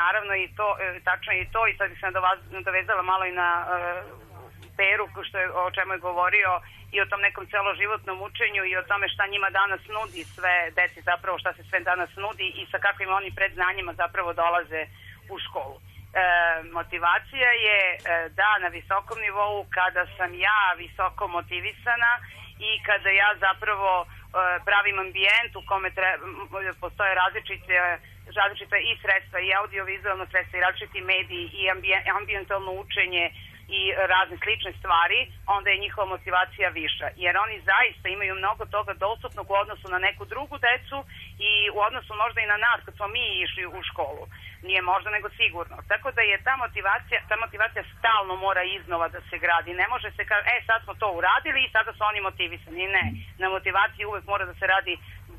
naravno i to, e, tačno i to, i sad bih se nadovezala malo i na e, Peru, što je, o čemu je govorio, i o tom nekom celoživotnom učenju i o tome šta njima danas nudi sve deci, zapravo šta se sve danas nudi i sa kakvim oni predznanjima zapravo dolaze u školu. E, motivacija je e, da na visokom nivou, kada sam ja visoko motivisana i kada ja zapravo pravim ambijent u kome treba, postoje različite, različite i sredstva i audiovizualno sredstva i različiti mediji i ambijentalno učenje i razne slične stvari, onda je njihova motivacija viša. Jer oni zaista imaju mnogo toga dostupnog u odnosu na neku drugu decu i u odnosu možda i na nas kad smo mi išli u školu. Nije možda, nego sigurno. Tako da je ta motivacija, ta motivacija stalno mora iznova da se gradi. Ne može se kao, e sad smo to uradili i sada su oni motivisani. Ne, na motivaciji uvek mora da se radi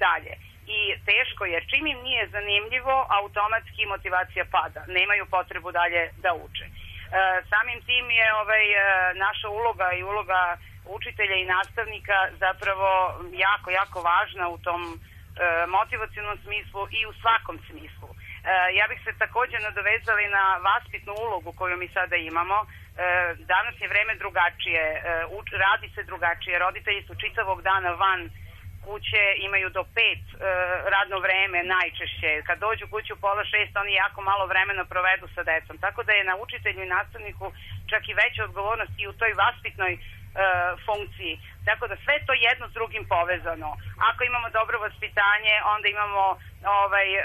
dalje. I teško jer čim im nije zanimljivo, automatski motivacija pada. Nemaju potrebu dalje da uče. E, samim tim je ovaj, naša uloga i uloga učitelja i nastavnika zapravo jako, jako važna u tom e, motivacionom smislu i u svakom smislu. E, ja bih se također nadovezala i na vaspitnu ulogu koju mi sada imamo. E, danas je vreme drugačije, e, uč, radi se drugačije, roditelji su čitavog dana van kuće, imaju do pet e, radno vreme najčešće. Kad dođu kuću u pola šest, oni jako malo vremena provedu sa decom. Tako da je na učitelju i nastavniku čak i veća odgovornost i u toj vaspitnoj e, funkciji. Tako da sve to jedno s drugim povezano. Ako imamo dobro vaspitanje, onda imamo ovaj, e,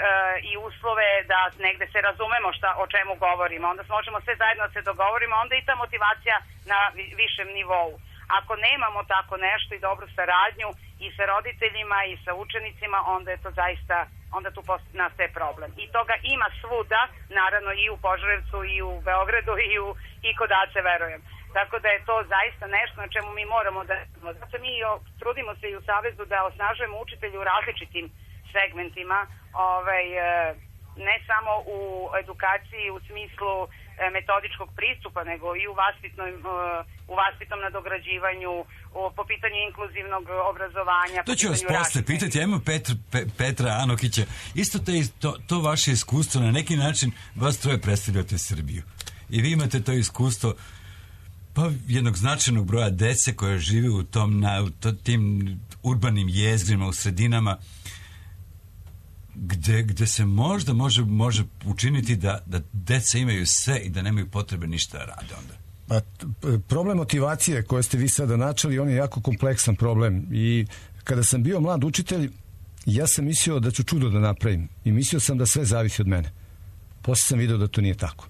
i uslove da negde se razumemo šta, o čemu govorimo. Onda možemo sve zajedno da se dogovorimo, onda i ta motivacija na višem nivou. Ako nemamo tako nešto i dobru saradnju i sa roditeljima i sa učenicima, onda je to zaista, onda tu nastaje problem. I toga ima svuda, naravno i u Požarevcu i u Beogradu i, u, i kod Ace, verujem. Tako da je to zaista nešto na čemu mi moramo da... Zato mi trudimo se i u Savezu da osnažujemo učitelje u različitim segmentima, ovaj, ne samo u edukaciji u smislu metodičkog pristupa, nego i u vaspitnom, u vaspitnom nadograđivanju, po pitanju inkluzivnog obrazovanja. To ću vas posle pitati, ajmo Petra, Pe, Petra Anokića. Isto te, to, to vaše iskustvo, na neki način vas troje predstavljate Srbiju. I vi imate to iskustvo pa jednog značajnog broja dece koje žive u tom, na, u to, tim urbanim jezgrima, u sredinama, Gde, gde se možda može, može učiniti da, da deca imaju sve i da nemaju potrebe ništa da rade onda. Pa, problem motivacije koje ste vi sada načeli, on je jako kompleksan problem i kada sam bio mlad učitelj, ja sam mislio da ću čudo da napravim i mislio sam da sve zavisi od mene. Posle sam video da to nije tako.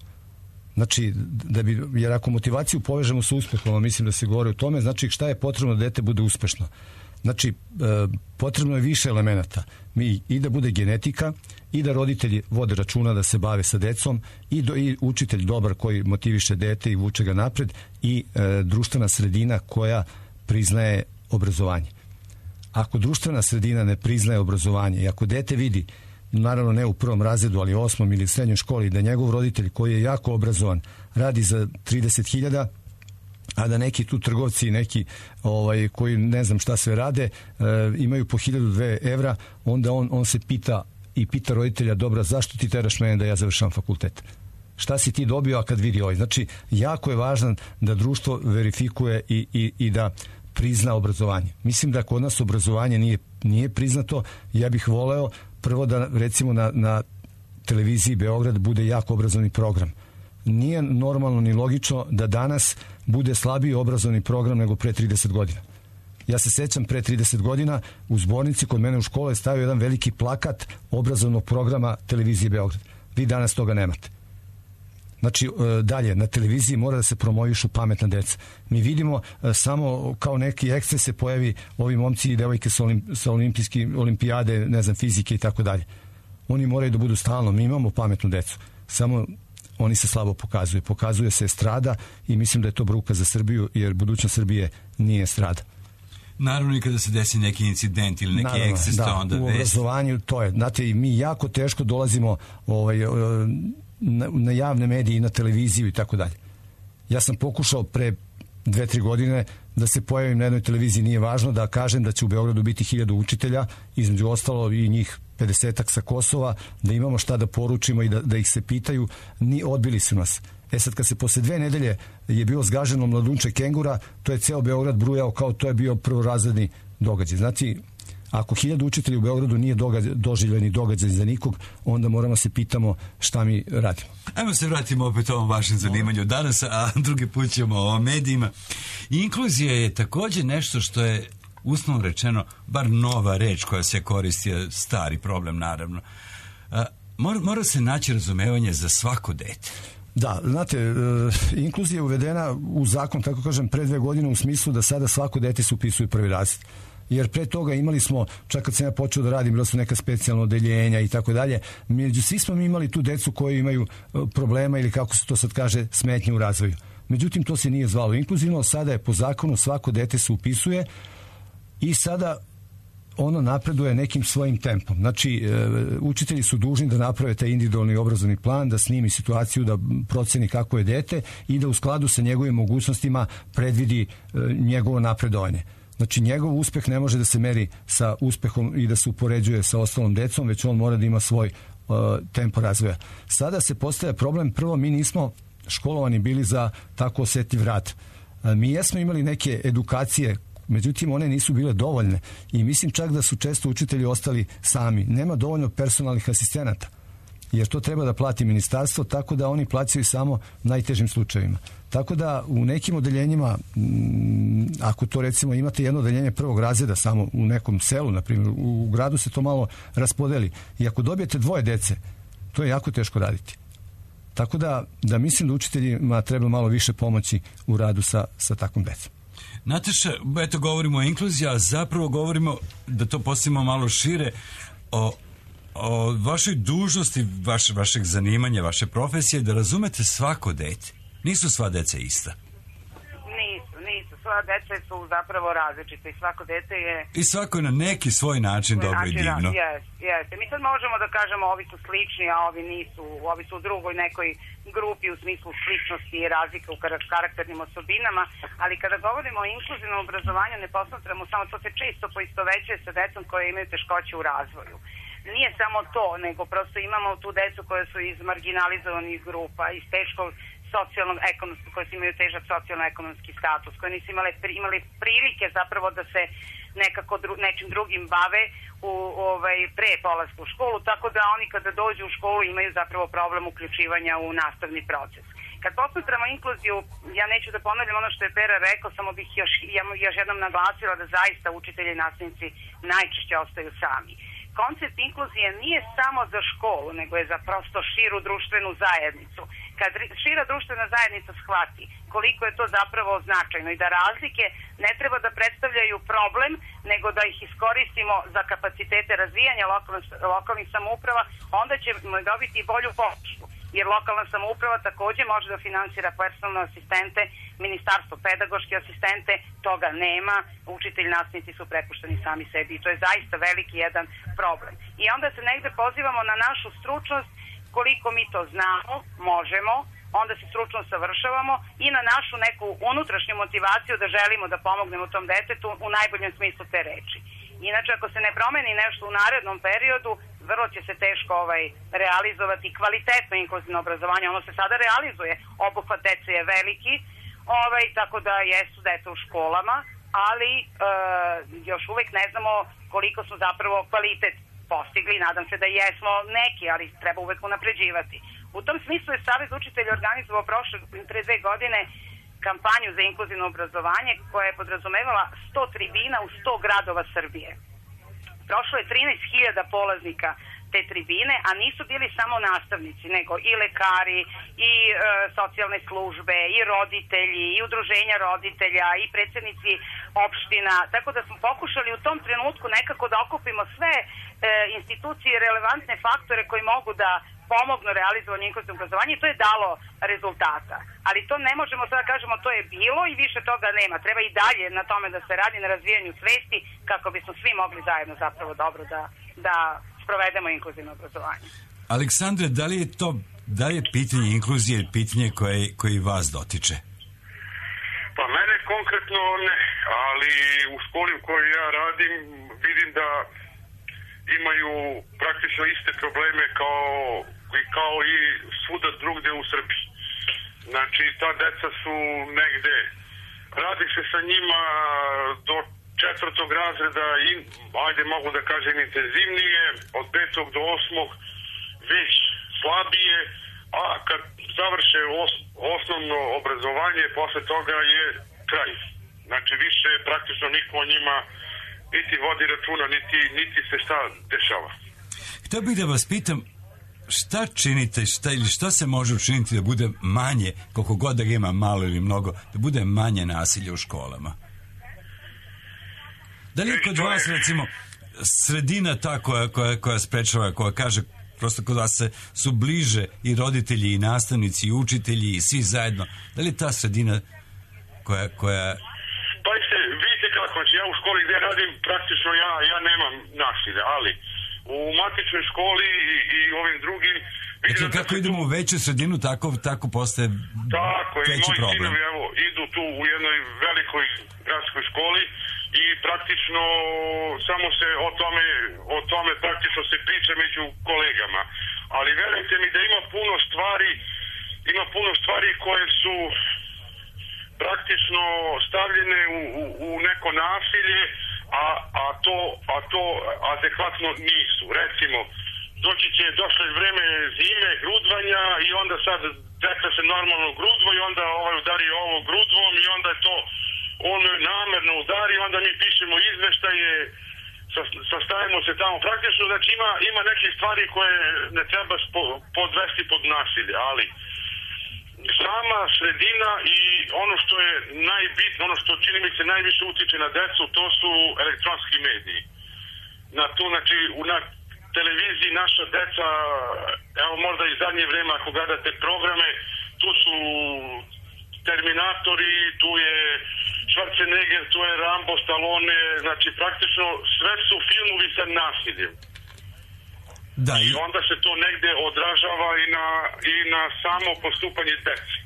Znači, da bi, jer ako motivaciju povežemo sa uspehom, mislim da se govori o tome, znači šta je potrebno da dete bude uspešno. Znači, e, potrebno je više elemenata. Mi i da bude genetika, i da roditelji vode računa da se bave sa decom, i, do, i učitelj dobar koji motiviše dete i vuče ga napred, i e, društvena sredina koja priznaje obrazovanje. Ako društvena sredina ne priznaje obrazovanje i ako dete vidi, naravno ne u prvom razredu, ali u osmom ili srednjoj školi, da njegov roditelj koji je jako obrazovan radi za trideset hiljada, a da neki tu trgovci, neki ovaj, koji ne znam šta sve rade, e, imaju po hiljadu dve evra, onda on, on se pita i pita roditelja, dobra, zašto ti teraš mene da ja završam fakultet? Šta si ti dobio, a kad vidi ovaj? Znači, jako je važno da društvo verifikuje i, i, i da prizna obrazovanje. Mislim da kod nas obrazovanje nije, nije priznato. Ja bih voleo prvo da, recimo, na, na televiziji Beograd bude jako obrazovni program. Nije normalno ni logično da danas bude slabiji obrazovni program nego pre trideset godina. Ja se sećam, pre trideset godina u zbornici kod mene u škole je stavio jedan veliki plakat obrazovnog programa televizije Beograd. Vi danas toga nemate. Znači, dalje, na televiziji mora da se promovišu pametna deca. Mi vidimo samo kao neki eksces se pojavi ovi momci i devojke sa, olim, sa olimpijski, olimpijade, ne znam, fizike i tako dalje. Oni moraju da budu stalno. Mi imamo pametnu decu. Samo oni se slabo pokazuju. Pokazuje se estrada i mislim da je to bruka za Srbiju, jer budućnost Srbije nije estrada. Naravno, i kada se desi neki incident ili neki Naravno, eksces, da, to onda... u obrazovanju to je. Znate, mi jako teško dolazimo ovaj, na, na javne medije i na televiziju i tako dalje. Ja sam pokušao pre dve, tri godine da se pojavim na jednoj televiziji, nije važno, da kažem da će u Beogradu biti hiljadu učitelja, između ostalo i njih pedesetak sa Kosova, da imamo šta da poručimo i da, da ih se pitaju. Ni odbili su nas. E sad, kad se posle dve nedelje je bilo zgaženo mladunče kengura, to je ceo Beograd brujao kao to je bio prvorazredni događaj. Znači, ako hiljadu učitelja u Beogradu nije događaj, doživljeni događaj za nikog, onda moramo se pitamo šta mi radimo. Ajmo se vratimo opet ovom vašem zanimanju danas, a drugi put ćemo o medijima. Inkluzija je takođe nešto što je uslovno rečeno, bar nova reč koja se koristi, stari problem naravno. A, mora, mora se naći razumevanje za svako dete. Da, znate, e, inkluzija je uvedena u zakon, tako kažem, pre dve godine u smislu da sada svako dete se upisuje u prvi razred. Jer pre toga imali smo, čak kad sam ja počeo da radim, bila su neka specijalna odeljenja i tako dalje, među svi smo mi imali tu decu koji imaju problema ili kako se to sad kaže, smetnje u razvoju. Međutim, to se nije zvalo inkluzivno, sada je po zakonu svako dete se upisuje i sada ono napreduje nekim svojim tempom. Znači, e, učitelji su dužni da naprave taj individualni obrazovni plan, da snimi situaciju, da proceni kako je dete i da u skladu sa njegovim mogućnostima predvidi e, njegovo napredovanje. Znači, njegov uspeh ne može da se meri sa uspehom i da se upoređuje sa ostalom decom, već on mora da ima svoj uh, tempo razvoja. Sada se postavlja problem, prvo, mi nismo školovani bili za tako osetljiv rad. Uh, mi jesmo imali neke edukacije, međutim, one nisu bile dovoljne i mislim čak da su često učitelji ostali sami. Nema dovoljno personalnih asistenata, jer to treba da plati ministarstvo, tako da oni plaćaju samo najtežim slučajevima. Tako da u nekim odeljenjima, ako to recimo imate jedno odeljenje prvog razreda samo u nekom selu, na primjer, u gradu se to malo raspodeli. I ako dobijete dvoje dece, to je jako teško raditi. Tako da, da mislim da učiteljima treba malo više pomoći u radu sa, sa takvom decom. Nataša, eto govorimo o inkluziji, a zapravo govorimo, da to postavimo malo šire, o o vašoj dužnosti, vaš, vašeg zanimanja, vaše profesije, da razumete svako dete. Nisu sva deca ista. Nisu, nisu. Sva deca su zapravo različite i svako dete je... I svako je na neki svoj način dobro i divno. Jes, jes. Mi sad možemo da kažemo ovi su slični, a ovi nisu. Ovi su u drugoj nekoj grupi u smislu sličnosti i razlike u karakternim osobinama, ali kada govorimo o inkluzivnom obrazovanju ne posmatramo samo, to se često poistovećuje sa decom koje imaju teškoće u razvoju. Nije samo to, nego prosto imamo tu decu koje su iz marginalizovanih grupa, iz teškog socijalnog, ekonomskog, koje imaju težak socijalno-ekonomski status, koje nisu imali, imali prilike zapravo da se nekako dru, nečim drugim bave u, ovaj, pre polaska u školu, tako da oni kada dođu u školu imaju zapravo problem uključivanja u nastavni proces. Kad posmatramo inkluziju, ja neću da ponavljam ono što je Pera rekao, samo bih još, još jednom naglasila da zaista učitelji i nastavnici najčešće ostaju sami. Koncept inkluzije nije samo za školu, nego je za prosto širu društvenu zajednicu. Kad šira društvena zajednica shvati koliko je to zapravo značajno i da razlike ne treba da predstavljaju problem, nego da ih iskoristimo za kapacitete razvijanja lokalnih, lokalnih samouprava, onda ćemo dobiti i bolju podršku. Jer lokalna samouprava takođe može da finansira personalne asistente, ministarstvo pedagoške asistente, toga nema, učitelji nastavnici su prepušteni sami sebi i to je zaista veliki jedan problem. I onda se negde pozivamo na našu stručnost, koliko mi to znamo, možemo, onda se stručno savršavamo i na našu neku unutrašnju motivaciju da želimo da pomognemo tom detetu u najboljem smislu te reči. Inače, ako se ne promeni nešto u narednom periodu, vrlo će se teško ovaj, realizovati kvalitetno inkluzivno obrazovanje. Ono se sada realizuje, obuhvat dece je veliki, ovaj, tako da jesu deca u školama, ali e, još uvek ne znamo koliko smo zapravo kvalitet postigli. Nadam se da jesmo neki, ali treba uvek unapređivati. U tom smislu je Savez učitelja organizovao prošle pre dve godine kampanju za inkluzivno obrazovanje koja je podrazumevala sto tribina u sto gradova Srbije. Prošlo je trinaest hiljada polaznika te tribine, a nisu bili samo nastavnici, nego i lekari, i e, socijalne službe, i roditelji, i udruženja roditelja, i predsjednici opština, tako da smo pokušali u tom trenutku nekako da okupimo sve e, institucije i relevantne faktore koji mogu da pomognu realizovanju inkluzivnog obrazovanja i to je dalo rezultata. Ali to ne možemo sada kažemo to je bilo i više toga nema. Treba i dalje na tome da se radi na razvijanju svesti kako bismo svi mogli zajedno zapravo dobro da, da sprovedemo inkluzivno obrazovanje. Aleksandre, da li je to, da li je pitanje inkluzije pitanje koje, koje vas dotiče? Pa mene konkretno ne, ali u školi u kojoj ja radim vidim da imaju praktično iste probleme kao, kao i svuda drugde u Srbiji. Znači, ta deca su negde, radi se sa njima do četvrtog razreda, i, ajde mogu da kažem intenzivnije, od petog do osmog već slabije, a kad završe os, osnovno obrazovanje, posle toga je kraj. Znači, više praktično niko o njima niti vodi računa, niti, niti se šta dešava. Htio bih da vas pitam, šta činite, šta, ili šta se može učiniti da bude manje, koliko god da ga ima malo ili mnogo, da bude manje nasilja u školama? Da li je kod vas, recimo, sredina ta koja, koja, koja sprečava, koja kaže, prosto kod vas se, su bliže i roditelji, i nastavnici, i učitelji, i svi zajedno, da li je ta sredina koja... koja... Pa se, vidite kako, znači ja u školi gdje radim, praktično ja, ja nemam nasilja, ali u matičnoj školi i, i ovim drugim... Dakle, kako idemo u veću sredinu, tako, tako postaje tako, veći moji problem. sinovi, evo, idu tu u jednoj velikoj gradskoj školi i praktično samo se o tome, o tome praktično se priča među kolegama. Ali verujte mi da ima puno stvari, ima puno stvari koje su praktično stavljene u, u, u neko nasilje, a, a, to, a to adekvatno nisu. Recimo, doći će, došlo je vreme zime, grudvanja i onda sad deca se normalno grudvo i onda ovaj udari ovo grudvom i onda je to ono namerno udari i onda mi pišemo izveštaje, sastavimo se tamo praktično, znači ima, ima neke stvari koje ne treba spo, podvesti pod nasilje, ali sama sredina i ono što je najbitno, ono što čini mi se najviše utiče na decu, to su elektronski mediji. Na to, znači, na televiziji naša deca, evo možda i zadnje vreme ako gledate programe, tu su Terminatori, tu je Schwarzenegger, tu je Rambo, Stallone, znači praktično sve su filmovi sa nasiljem. Da, i... I onda se to negde odražava i na, i na samo postupanje deci.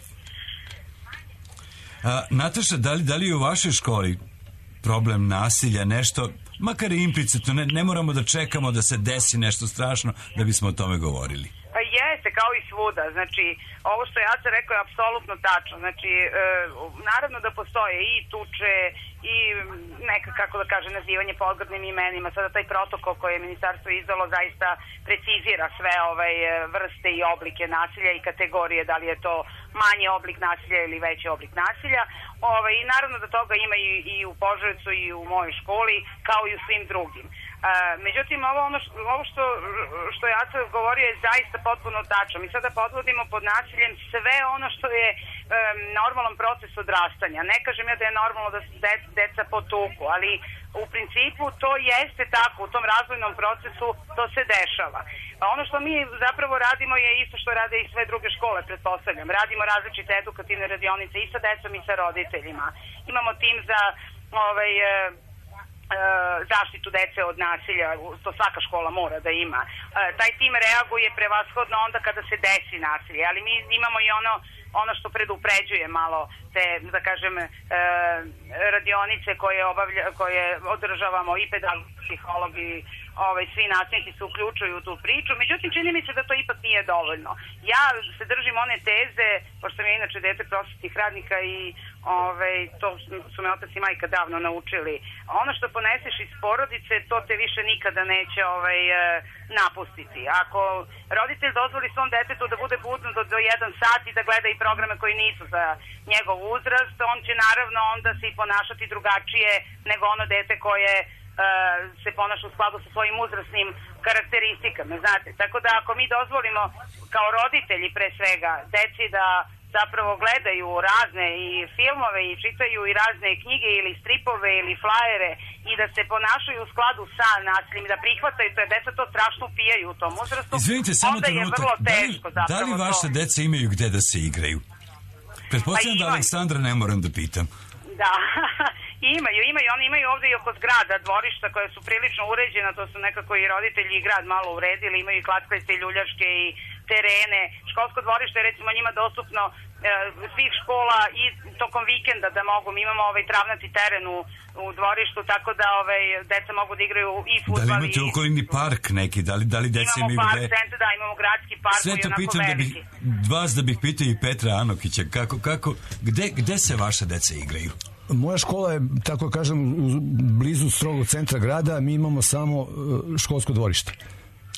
A, Nataša, da li, da li je u vašoj školi problem nasilja nešto, makar i implicitno, ne, ne moramo da čekamo da se desi nešto strašno da bismo o tome govorili? Pa jeste, kao i svuda. Znači, ovo što ja sam rekao je apsolutno tačno. Znači, e, naravno da postoje i tuče i neka, kako da kaže, nazivanje podgrdnim imenima. Sada taj protokol koji je ministarstvo izdalo zaista precizira sve ovaj vrste i oblike nasilja i kategorije, da li je to manji oblik nasilja ili veći oblik nasilja. Ovaj, i naravno da toga ima i, i u Požarevcu i u mojoj školi, kao i u svim drugim. Uh, međutim, ovo, ono što, ovo što, što ja sam govorio je zaista potpuno tačno. Mi sada podvodimo pod nasiljem sve ono što je um, normalan proces odrastanja. Ne kažem ja da je normalno da se de, deca potuku, ali u principu to jeste tako, u tom razvojnom procesu to se dešava. A ono što mi zapravo radimo je isto što rade i sve druge škole, pretpostavljam. Radimo različite edukativne radionice i sa decom i sa roditeljima. Imamo tim za ovaj... zaštitu dece od nasilja, to svaka škola mora da ima. Taj tim reaguje prevashodno onda kada se desi nasilje, ali mi imamo i ono ono što predupređuje malo te, da kažem, radionice koje obavlja, koje održavamo i pedagog, psiholog i ovaj, svi nastavnici se uključuju u tu priču. Međutim, čini mi se da to ipak nije dovoljno. Ja se držim one teze, pošto sam ja inače dete prosvetnih radnika i ovaj, to su me otac i majka davno naučili. Ono što poneseš iz porodice, to te više nikada neće ovaj, napustiti. Ako roditelj dozvoli svom detetu da bude budno do, do jedan sat i da gleda i programe koji nisu za njegov uzrast, on će naravno onda se i ponašati drugačije nego ono dete koje se ponaša u skladu sa svojim uzrasnim karakteristikama, znate. Tako da ako mi dozvolimo kao roditelji pre svega deci da zapravo gledaju razne i filmove i čitaju i razne knjige ili stripove ili flajere i da se ponašaju u skladu sa nasiljem i da prihvataju to, je deca to strašno upijaju u tom uzrastu. Izvinite, samo onda je vrlo teško da li, da li vaše to. deca imaju gde da se igraju? Pretpostavljam pa da Aleksandra ne moram da pitam. Da, imaju, imaju, oni imaju ovde i oko zgrada, dvorišta koje su prilično uređena, to su nekako i roditelji i grad malo uredili, imaju i klackalice i ljuljačke i terene. Školsko dvorište je recimo njima dostupno e, svih škola i tokom vikenda da mogu. Mi imamo ovaj travnati teren u, u dvorištu, tako da ovaj, deca mogu da igraju i fudbal. Da li imate i okolini park neki? Da li, da li deca imaju park, gde? Centar, da, imamo gradski park koji je onako pitam veliki. Da bih, vas da bih pitao i Petra Anokića, kako, kako, gde, gde se vaše deca igraju? Moja škola je, tako kažem, blizu strogog centra grada, mi imamo samo školsko dvorište.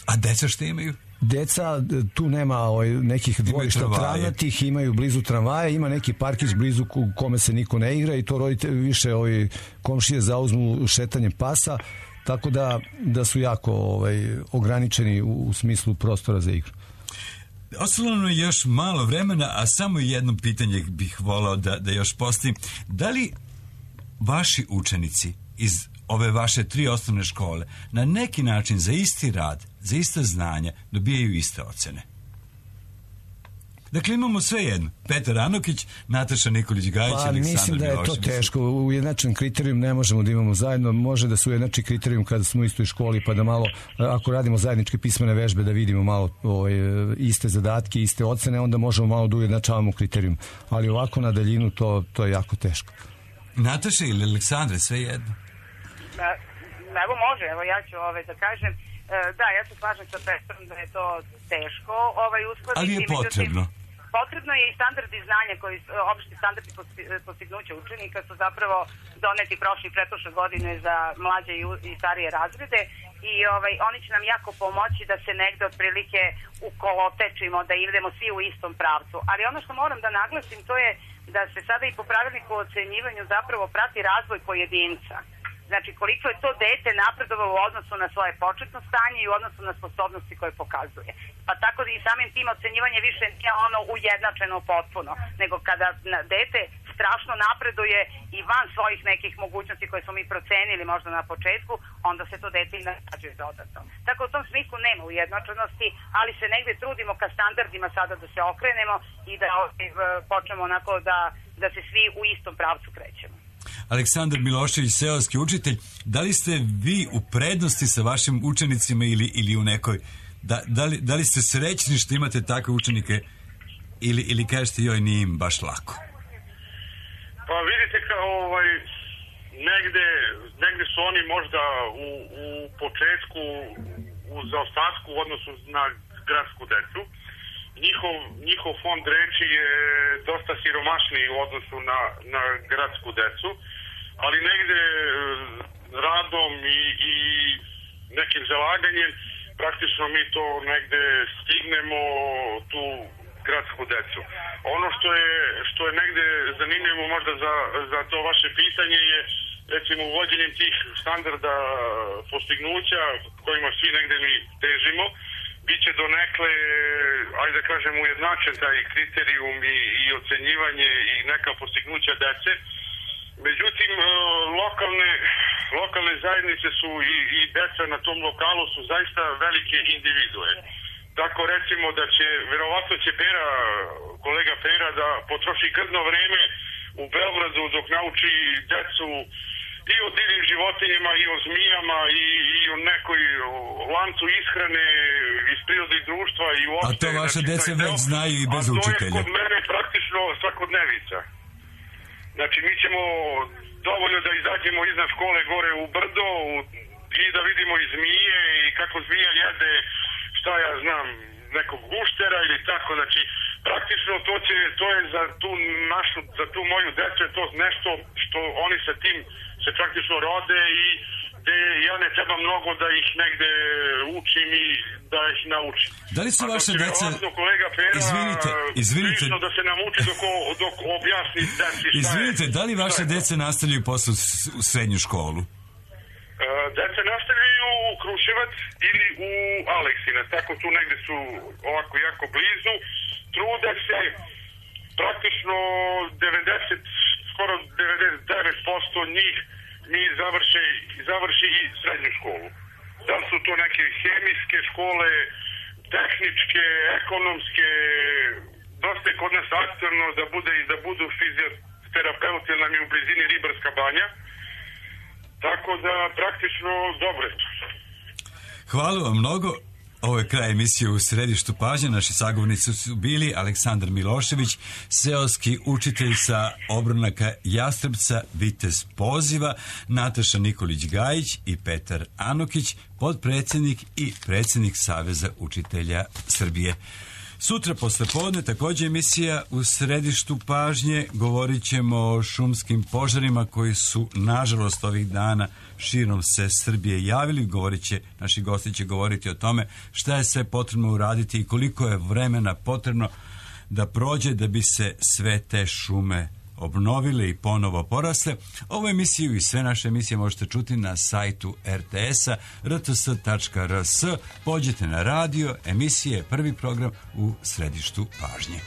A deca što imaju? Deca, tu nema ovaj, nekih dvorišta travnatih, imaju blizu tramvaja, ima neki parkić blizu u kome se niko ne igra i to roditelji više ovaj, komšije zauzmu šetanjem pasa, tako da, da su jako ovaj, ograničeni u, u smislu prostora za igru. Ostalo nam je još malo vremena, a samo jedno pitanje bih volao da, da još postavim. Da li vaši učenici iz ove vaše tri osnovne škole na neki način za isti rad, za ista znanja dobijaju iste ocene? Dakle, imamo sve jedno. Petar Anokić, Nataša Nikolić-Gajić, pa, Aleksandar Milošević. Mislim da je to teško. Ujednačen kriterijum ne možemo da imamo zajedno. Može da su ujednačen kriterijum kada smo u istoj školi, pa da malo, ako radimo zajedničke pismene vežbe, da vidimo malo ovaj, iste zadatke, iste ocene, onda možemo malo da ujednačavamo kriterijum. Ali ovako na daljinu to, to je jako teško. Nataša ili Aleksandre, sve jedno? Evo može, evo ja ću ovaj, da kažem. Da, ja se slažem sa Petrom da je to teško ovaj, uskladiti. Ali je potrebno. Potrebno je i standardi znanja, koji, opšti standardi postignuća učenika su zapravo doneti prošle i pretprošle godine za mlađe i, i starije razrede i ovaj, oni će nam jako pomoći da se negde otprilike ukolotečimo, da idemo svi u istom pravcu. Ali ono što moram da naglasim to je da se sada i po pravilniku o ocenjivanju zapravo prati razvoj pojedinca. Znači, koliko je to dete napredovalo u odnosu na svoje početno stanje i u odnosu na sposobnosti koje pokazuje. Pa tako da i samim tim ocenjivanje više nije ono ujednačeno potpuno, nego kada dete strašno napreduje i van svojih nekih mogućnosti koje smo mi procenili možda na početku, onda se to dete i nagrađuje dodatno. Tako u tom smislu nema ujednačenosti, ali se negde trudimo ka standardima sada da se okrenemo i da počnemo onako da, da se svi u istom pravcu krećemo. Aleksandar Milošević, seoski učitelj, da li ste vi u prednosti sa vašim učenicima ili, ili u nekoj, da, da, li, da li ste srećni što imate takve učenike ili, ili kažete joj nije im baš lako? Pa vidite kao ovaj, negde, negde su oni možda u, u početku u zaostatku u odnosu na gradsku decu. Njihov, njihov fond reči je dosta siromašniji u odnosu na, na gradsku decu, ali negde radom i, i nekim zalaganjem praktično mi to negde stignemo tu gradsku decu. Ono što je, što je negde zanimljivo možda za, za to vaše pitanje je recimo uvođenjem tih standarda postignuća kojima svi negde mi težimo, biće donekle, ajde da kažem, ujednačen taj kriterijum i, i ocenjivanje i neka postignuća dece. Međutim, lokalne, lokalne zajednice su i, i deca na tom lokalu su zaista velike individue. Tako recimo da će, verovatno će Pera, kolega Pera da potroši grdno vreme u Beogradu dok nauči decu i o divnim životinjama, i o zmijama, i, i o nekoj lancu ishrane iz prirodnih društva i uopšte. A to vaše znači, dece već znaju i bez učitelja. A to je kod mene praktično svakodnevica. Znači, mi ćemo dovoljno da izađemo iznad škole gore u brdo u, i da vidimo i zmije i kako zmija jede, šta ja znam, nekog guštera ili tako. Znači, praktično to, će, to je za tu našu, za tu moju decu je to nešto što oni sa tim se praktično rode i gde ja ne treba mnogo da ih negde učim i da ih naučim. Da li su vaše deca... kolega Pera, izvinite, izvinite. da se nauči dok, dok objasni deci šta izvinite, je, da li vaše deca nastavljaju posle u srednju školu? Deca nastavljaju u Kruševac ili u Aleksinac, tako tu negde su ovako jako blizu. Trude se praktično devedeset, skoro devedeset devet posto njih mi završi, završi i srednju školu. Da su to neke hemijske škole, tehničke, ekonomske, dosta je kod nas aktualno da bude i da budu fizioterapeuti, jer nam je u blizini Ribarska banja. Tako da praktično dobro. Hvala vam mnogo. Ovo je kraj emisije U središtu pažnje. Naši sagovornici su bili Aleksandar Milošević, seoski učitelj sa obronaka Jastrebca, vitez poziva, Nataša Nikolić-Gajić i Petar Anokić, podpredsednik i predsednik Saveza učitelja Srbije. Sutra posle podne takođe emisija u središtu pažnje. Govorit ćemo o šumskim požarima koji su nažalost ovih dana širom se Srbije javili. Govorit će, naši gosti će govoriti o tome šta je sve potrebno uraditi i koliko je vremena potrebno da prođe da bi se sve te šume obnovile i ponovo porasle. Ovu emisiju i sve naše emisije možete čuti na sajtu er te es-a er te es tačka er es. Pođete na radio, emisije, prvi program u središtu pažnje.